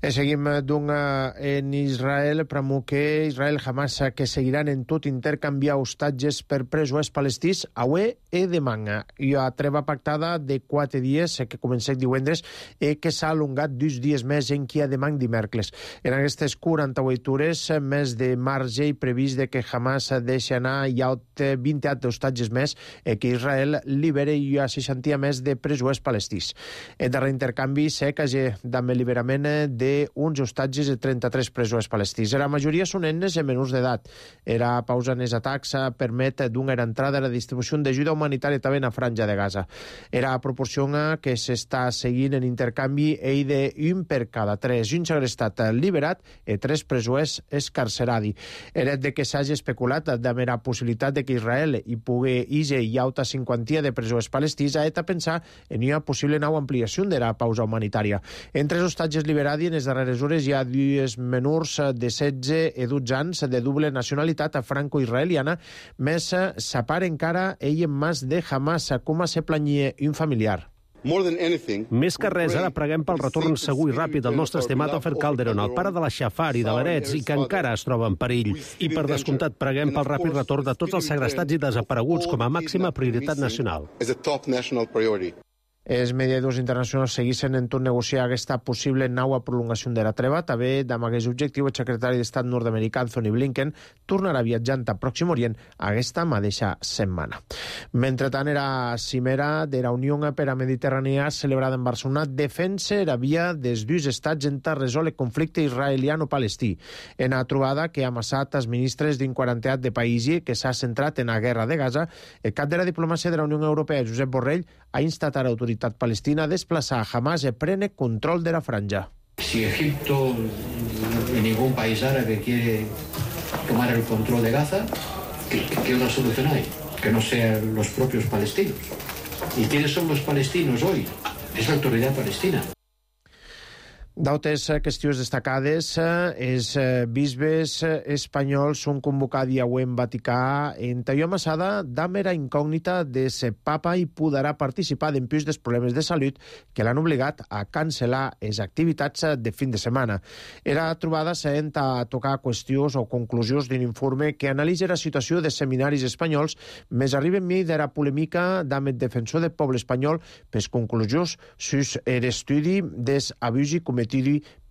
Seguim en Israel, pramo que Israel Hamas que seguiran en tot intercanviar hostatges per presos palestins avui i demà. I a treva pactada de 4 dies que comença divendres i que s'ha allongat 2 dies més en qui a demà dimecres. En aquestes 48 hores, més de marge i previst de que Hamas deixi anar hi ha 20 hostatges més i que Israel libere hi ha 60 més de presos palestins. El darrer intercanvi s'ha quasi amb l'alliberament de uns hostatges de 33 presos palestins. La majoria són nenes i menors d'edat. Era pausa en els atacs permet d'una entrada a la distribució d'ajuda humanitària també en la franja de Gaza. Era proporció que s'està seguint en intercanvi i d'un per cada 3. Un segrestat liberat i 3 presos escarcerats. Era de que s'hagi especulat amb la possibilitat de que Israel hi pugui hi auta 50 de presos palestins a pensar en una possible nova ampliació de la pausa humanitària. Entre els hostatges liberats en les darreres hores hi ha 2 menors de 16 i 12 anys de doble nacionalitat franco-israeliana, més s'apara encara ell en mas de Hamas, com se planyia un familiar. Més que res, ara preguem pel retorn segur i ràpid del nostre estimat Ofer Calderon, el pare de la Xafar i de l'Eretz, i que encara es troba en perill. I per descomptat, preguem pel ràpid retorn de tots els segrestats i desapareguts com a màxima prioritat nacional. Els mediadors internacionals segueixen en tot negociar aquesta possible nova prolongació de la treva. També, amb aquest objectiu, el secretari d'Estat nord-americà Anthony Blinken tornarà viatjant a Pròxim Orient aquesta mateixa setmana. Mentrestant, la cimera de la Unió per a Mediterrània celebrada en Barcelona defensa la via dels 2 estats en resoldre el conflicte israeliano-palestí. En la trobada que ha amassat els ministres d'un 40 de països que s'ha centrat en la guerra de Gaza, el cap de la diplomàcia de la Unió Europea, Josep Borrell, ha instat a l'autoritat palestina a desplaçar a Hamas i prene control de la franja. Si Egipto y ningún país árabe quiere tomar el control de Gaza, ¿qué otra solución hay? Que no sean los propios palestinos. ¿Y quiénes son los palestinos hoy? Es la autoridad palestina. D'altres qüestions destacades, els bisbes espanyols són convocats avui en Vaticà en tallo amassada d'amera incògnita de si papa hi podrà participar d'empús dels problemes de salut que l'han obligat a cancel·lar les activitats de fin de setmana. Era trobada sent a tocar qüestions o conclusions d'un informe que analitza la situació de seminaris espanyols, més arriba en mi de la polèmica amb el defensor del poble espanyol per conclusions sus l'estudi dels abusos cometidos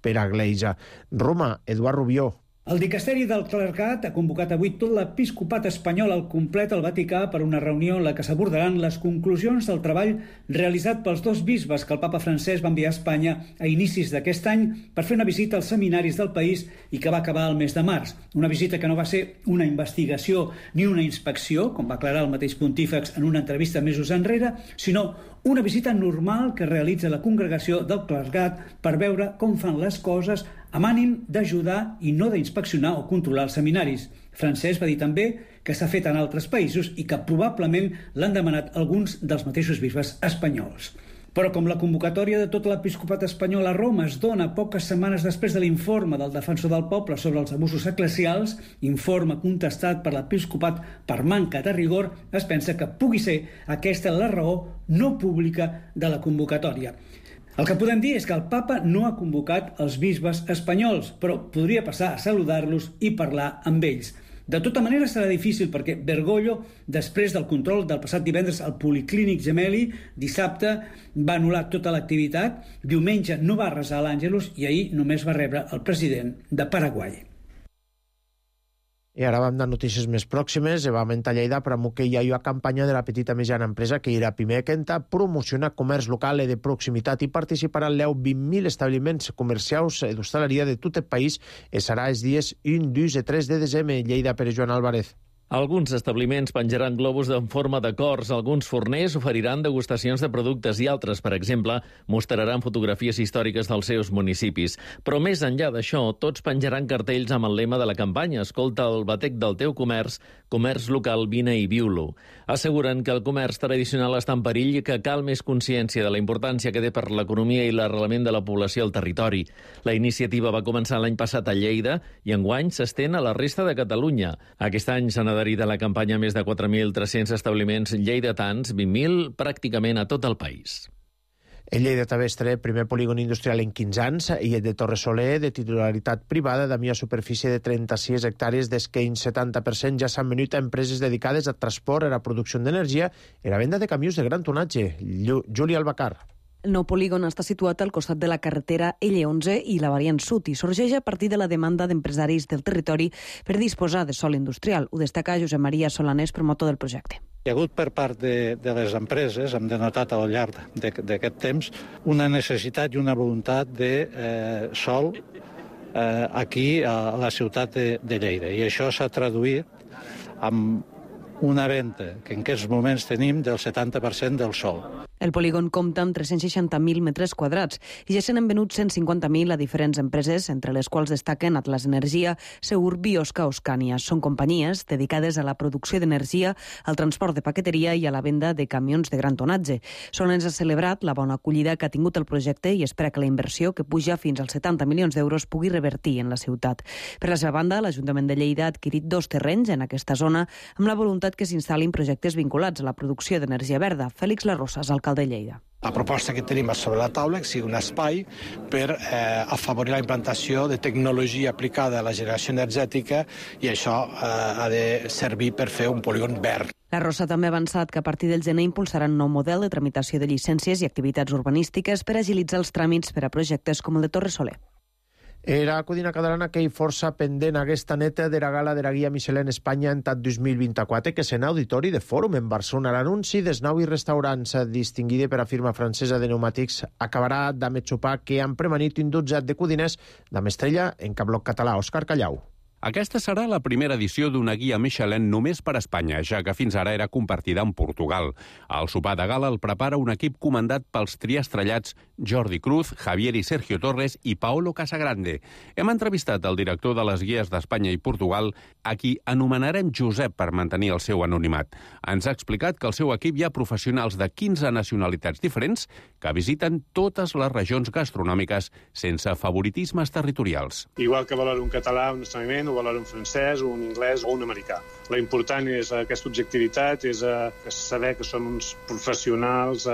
per a Gleisa. Roma, Eduard Rubió. El dicasteri del clergat ha convocat avui tot l'episcopat espanyol al complet al Vaticà per una reunió en la que s'abordaran les conclusions del treball realitzat pels 2 bisbes que el papa francès va enviar a Espanya a inicis d'aquest any per fer una visita als seminaris del país i que va acabar el mes de març. Una visita que no va ser una investigació ni una inspecció, com va aclarar el mateix pontífex en una entrevista mesos enrere, sinó una visita normal que realitza la congregació del clergat per veure com fan les coses amb ànim d'ajudar i no d'inspeccionar o controlar els seminaris. Francesc va dir també que s'ha fet en altres països i que probablement l'han demanat alguns dels mateixos bisbes espanyols. Però com la convocatòria de tot l'episcopat espanyol a Roma es dona poques setmanes després de l'informe del defensor del poble sobre els abusos eclesials, informe contestat per l'episcopat per manca de rigor, es pensa que pugui ser aquesta la raó no pública de la convocatòria. El que podem dir és que el papa no ha convocat els bisbes espanyols, però podria passar a saludar-los i parlar amb ells. De tota manera serà difícil perquè Bergoglio, després del control del passat divendres al Policlínic Gemelli, dissabte va anul·lar tota l'activitat, diumenge no va resar a l'Àngelus i ahir només va rebre el president de Paraguai. I ara vam de notícies més pròximes. Vam a Lleida per que hi ha una campanya de la petita mitjana empresa que irà primer que enta promociona comerç local i de proximitat i participaran 20.000 establiments comercials d'hostaleria de tot el país i serà els dies 1, 2 i 3 de desembre. Lleida, per Joan Álvarez. Alguns establiments penjaran globus en forma de cors, alguns forners oferiran degustacions de productes i altres, per exemple, mostraran fotografies històriques dels seus municipis. Però més enllà d'això, tots penjaran cartells amb el lema de la campanya «Escolta el batec del teu comerç, comerç local, vine i viu-lo». Asseguren que el comerç tradicional està en perill i que cal més consciència de la importància que té per l'economia i l'arrelament de la població al territori. La iniciativa va començar l'any passat a Lleida i enguany s'estén a la resta de Catalunya. Aquest any s'han adherit a la campanya més de 4.300 establiments lleidatans, 20.000 pràcticament a tot el país. El Lleida Tavestre, primer polígon industrial en 15 anys, i el de Torresoler, de titularitat privada, de una superfície de 36 hectàrees, des que en 70% ja s'han venut a empreses dedicades a transport, a la producció d'energia i a la venda de camions de gran tonatge. Júlia Albacar. El nou polígon està situat al costat de la carretera L11 i la variant sud i sorgeix a partir de la demanda d'empresaris del territori per disposar de sòl industrial. Ho destaca Josep Maria Solanés, promotor del projecte. Hi ha hagut per part de les empreses, hem denotat al llarg d'aquest temps, una necessitat i una voluntat de sòl aquí a la ciutat de Lleida. I això s'ha traduït amb una venda que en aquests moments tenim del 70% del sòl. El polígon compta amb 360.000 metres quadrats i ja se n'han venut 150.000 a diferents empreses, entre les quals destaquen Atlas Energia, Segur, Biosca o Scania. Són companyies dedicades a la producció d'energia, al transport de paqueteria i a la venda de camions de gran tonatge. Solens ha celebrat la bona acollida que ha tingut el projecte i espera que la inversió, que puja fins als 70 milions d'euros, pugui revertir en la ciutat. Per la seva banda, l'Ajuntament de Lleida ha adquirit 2 terrenys en aquesta zona amb la voluntat que s'instal·lin projectes vinculats a la producció d'energia verda. Fèlix Larrosas, alcalde de Lleida. La proposta que tenim sobre la taula és sigui un espai per afavorir la implantació de tecnologia aplicada a la generació energètica i això ha de servir per fer un polígon verd. La Rosa també ha avançat que a partir del gener impulsarà un nou model de tramitació de llicències i activitats urbanístiques per agilitzar els tràmits per a projectes com el de Torresoler. Era codina catalana que hi força pendent aquesta neta de la gala de la Guia Michelin Espanya en TAT 2024, que sent auditori de Fòrum en Barcelona. L'anunci dels 9 restaurants distinguida per a firma francesa de pneumàtics acabarà d'ametxopar que han premanit un dotzat de codines d'Amestrella en cap bloc català. Òscar Callau. Aquesta serà la primera edició d'una guia Michelin només per a Espanya, ja que fins ara era compartida amb Portugal. El sopar de gala el prepara un equip comandat pels triastrellats Jordi Cruz, Javier i Sergio Torres i Paolo Casagrande. Hem entrevistat el director de les guies d'Espanya i Portugal, a qui anomenarem Josep per mantenir el seu anonimat. Ens ha explicat que el seu equip hi ha professionals de 15 nacionalitats diferents que visiten totes les regions gastronòmiques sense favoritismes territorials. Igual que valora un català, un estrangament, ho valora un francès, un anglès o un americà. La important és aquesta objectivitat, és saber que som uns professionals,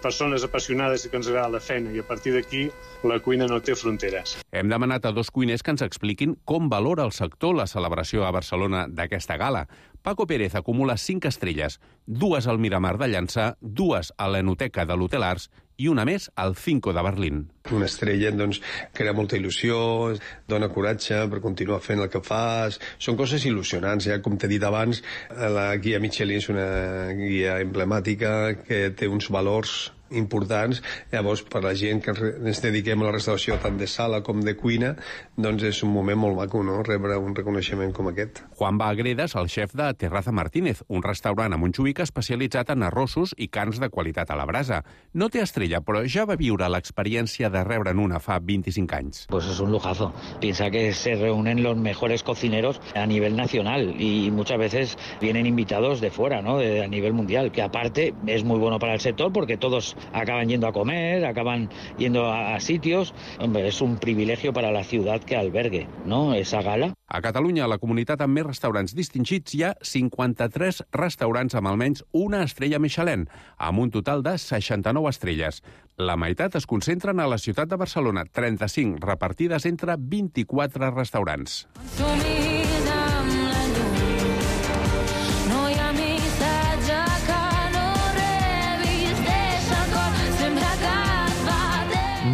persones apassionades i que ens agrada la feina, i a partir d'aquí la cuina no té fronteres. Hem demanat a 2 cuiners que ens expliquin com valora el sector la celebració a Barcelona d'aquesta gala. Paco Pérez acumula 5 estrelles, 2 al Miramar de Llançà, 2 a l'Enoteca de l'Hotel Arts i una més al Cinco de Berlín. Una estrella doncs, crea molta il·lusió, dona coratge per continuar fent el que fas. Són coses il·lusionants. Com t'he dit abans, la guia Michelin és una guia emblemàtica que té uns valors importants. Llavors, per la gent que ens dediquem a la restauració tant de sala com de cuina, doncs és un moment molt maco, no?, rebre un reconeixement com aquest. Juan Bagredes, el xef de Terraza Martínez, un restaurant a Montjuïc especialitzat en arrossos i carns de qualitat a la brasa. No té estrella, però ja va viure l'experiència de rebre'n una fa 25 anys. Pues es un lujazo. Piensa que se reúnen los mejores cocineros a nivel nacional y muchas veces vienen invitados de fuera, ¿no?, a nivel mundial, que aparte es muy bueno para el sector porque todos acaban yendo a comer, acaban yendo a sitios. Hombre, es un privilegio para la ciudad que albergue, ¿no?, esa gala. A Catalunya, a la comunitat amb més restaurants distingits, hi ha 53 restaurants amb almenys una estrella Michelin, amb un total de 69 estrelles. La meitat es concentren a la ciutat de Barcelona, 35 repartides entre 24 restaurants.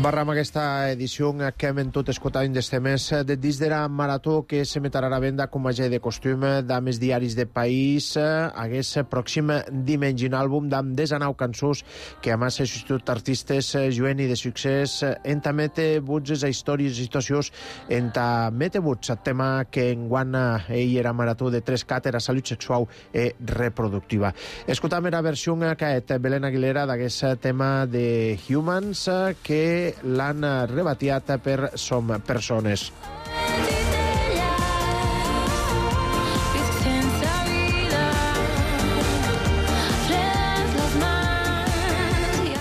Barram aquesta edició que hem tot escoltat d'este mes de dins de la marató que se metrà a venda com a de costum d'ames diaris de país hagués pròxim dimengi un àlbum d'am 19 cançons que a més substitut artistes jueni de succés enta mete buts a històries i situacions enta mete buts el tema que enguan ell era marató de 3 era salut sexual i reproductiva. Escoltam la versió que és Belén Aguilera d'aquest tema de Humans que l'han rebatiat per Som Persones.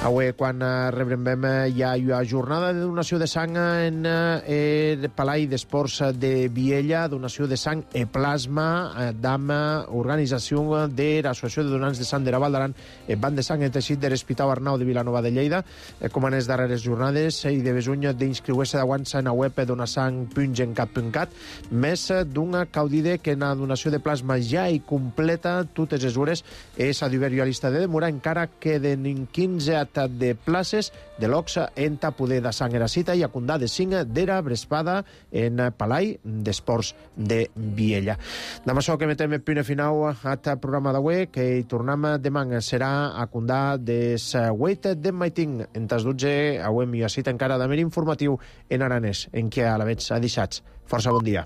Avui, quan rebrem ja la jornada de donació de sang en el Palai d'Esports de Viella, donació de sang i plasma d'AMA, organització de l'Associació de Donants de Sang de la Val d'Aran, Banc de Sang i Teixit de l'Hospital Arnau de Vilanova de Lleida, com en les darreres jornades, i de besuny d'inscriure-se d'aguança en la web donasang.gencat.cat, més d'una caudide que en la donació de plasma ja hi completa totes les hores és a diversió a llista de demora, encara queden 15 de places de l'Oxa en poder de sang era cita i a Condà de 5 d'era Brespada en Palai d'Esports de Viella. Demà això que metem el punt final al programa d'avui, que hi tornem demà serà a Condà des 8 de maiting en tas 12 avui mi cita encara de mer informatiu en aranès en què a la veig ha deixat. Força bon dia.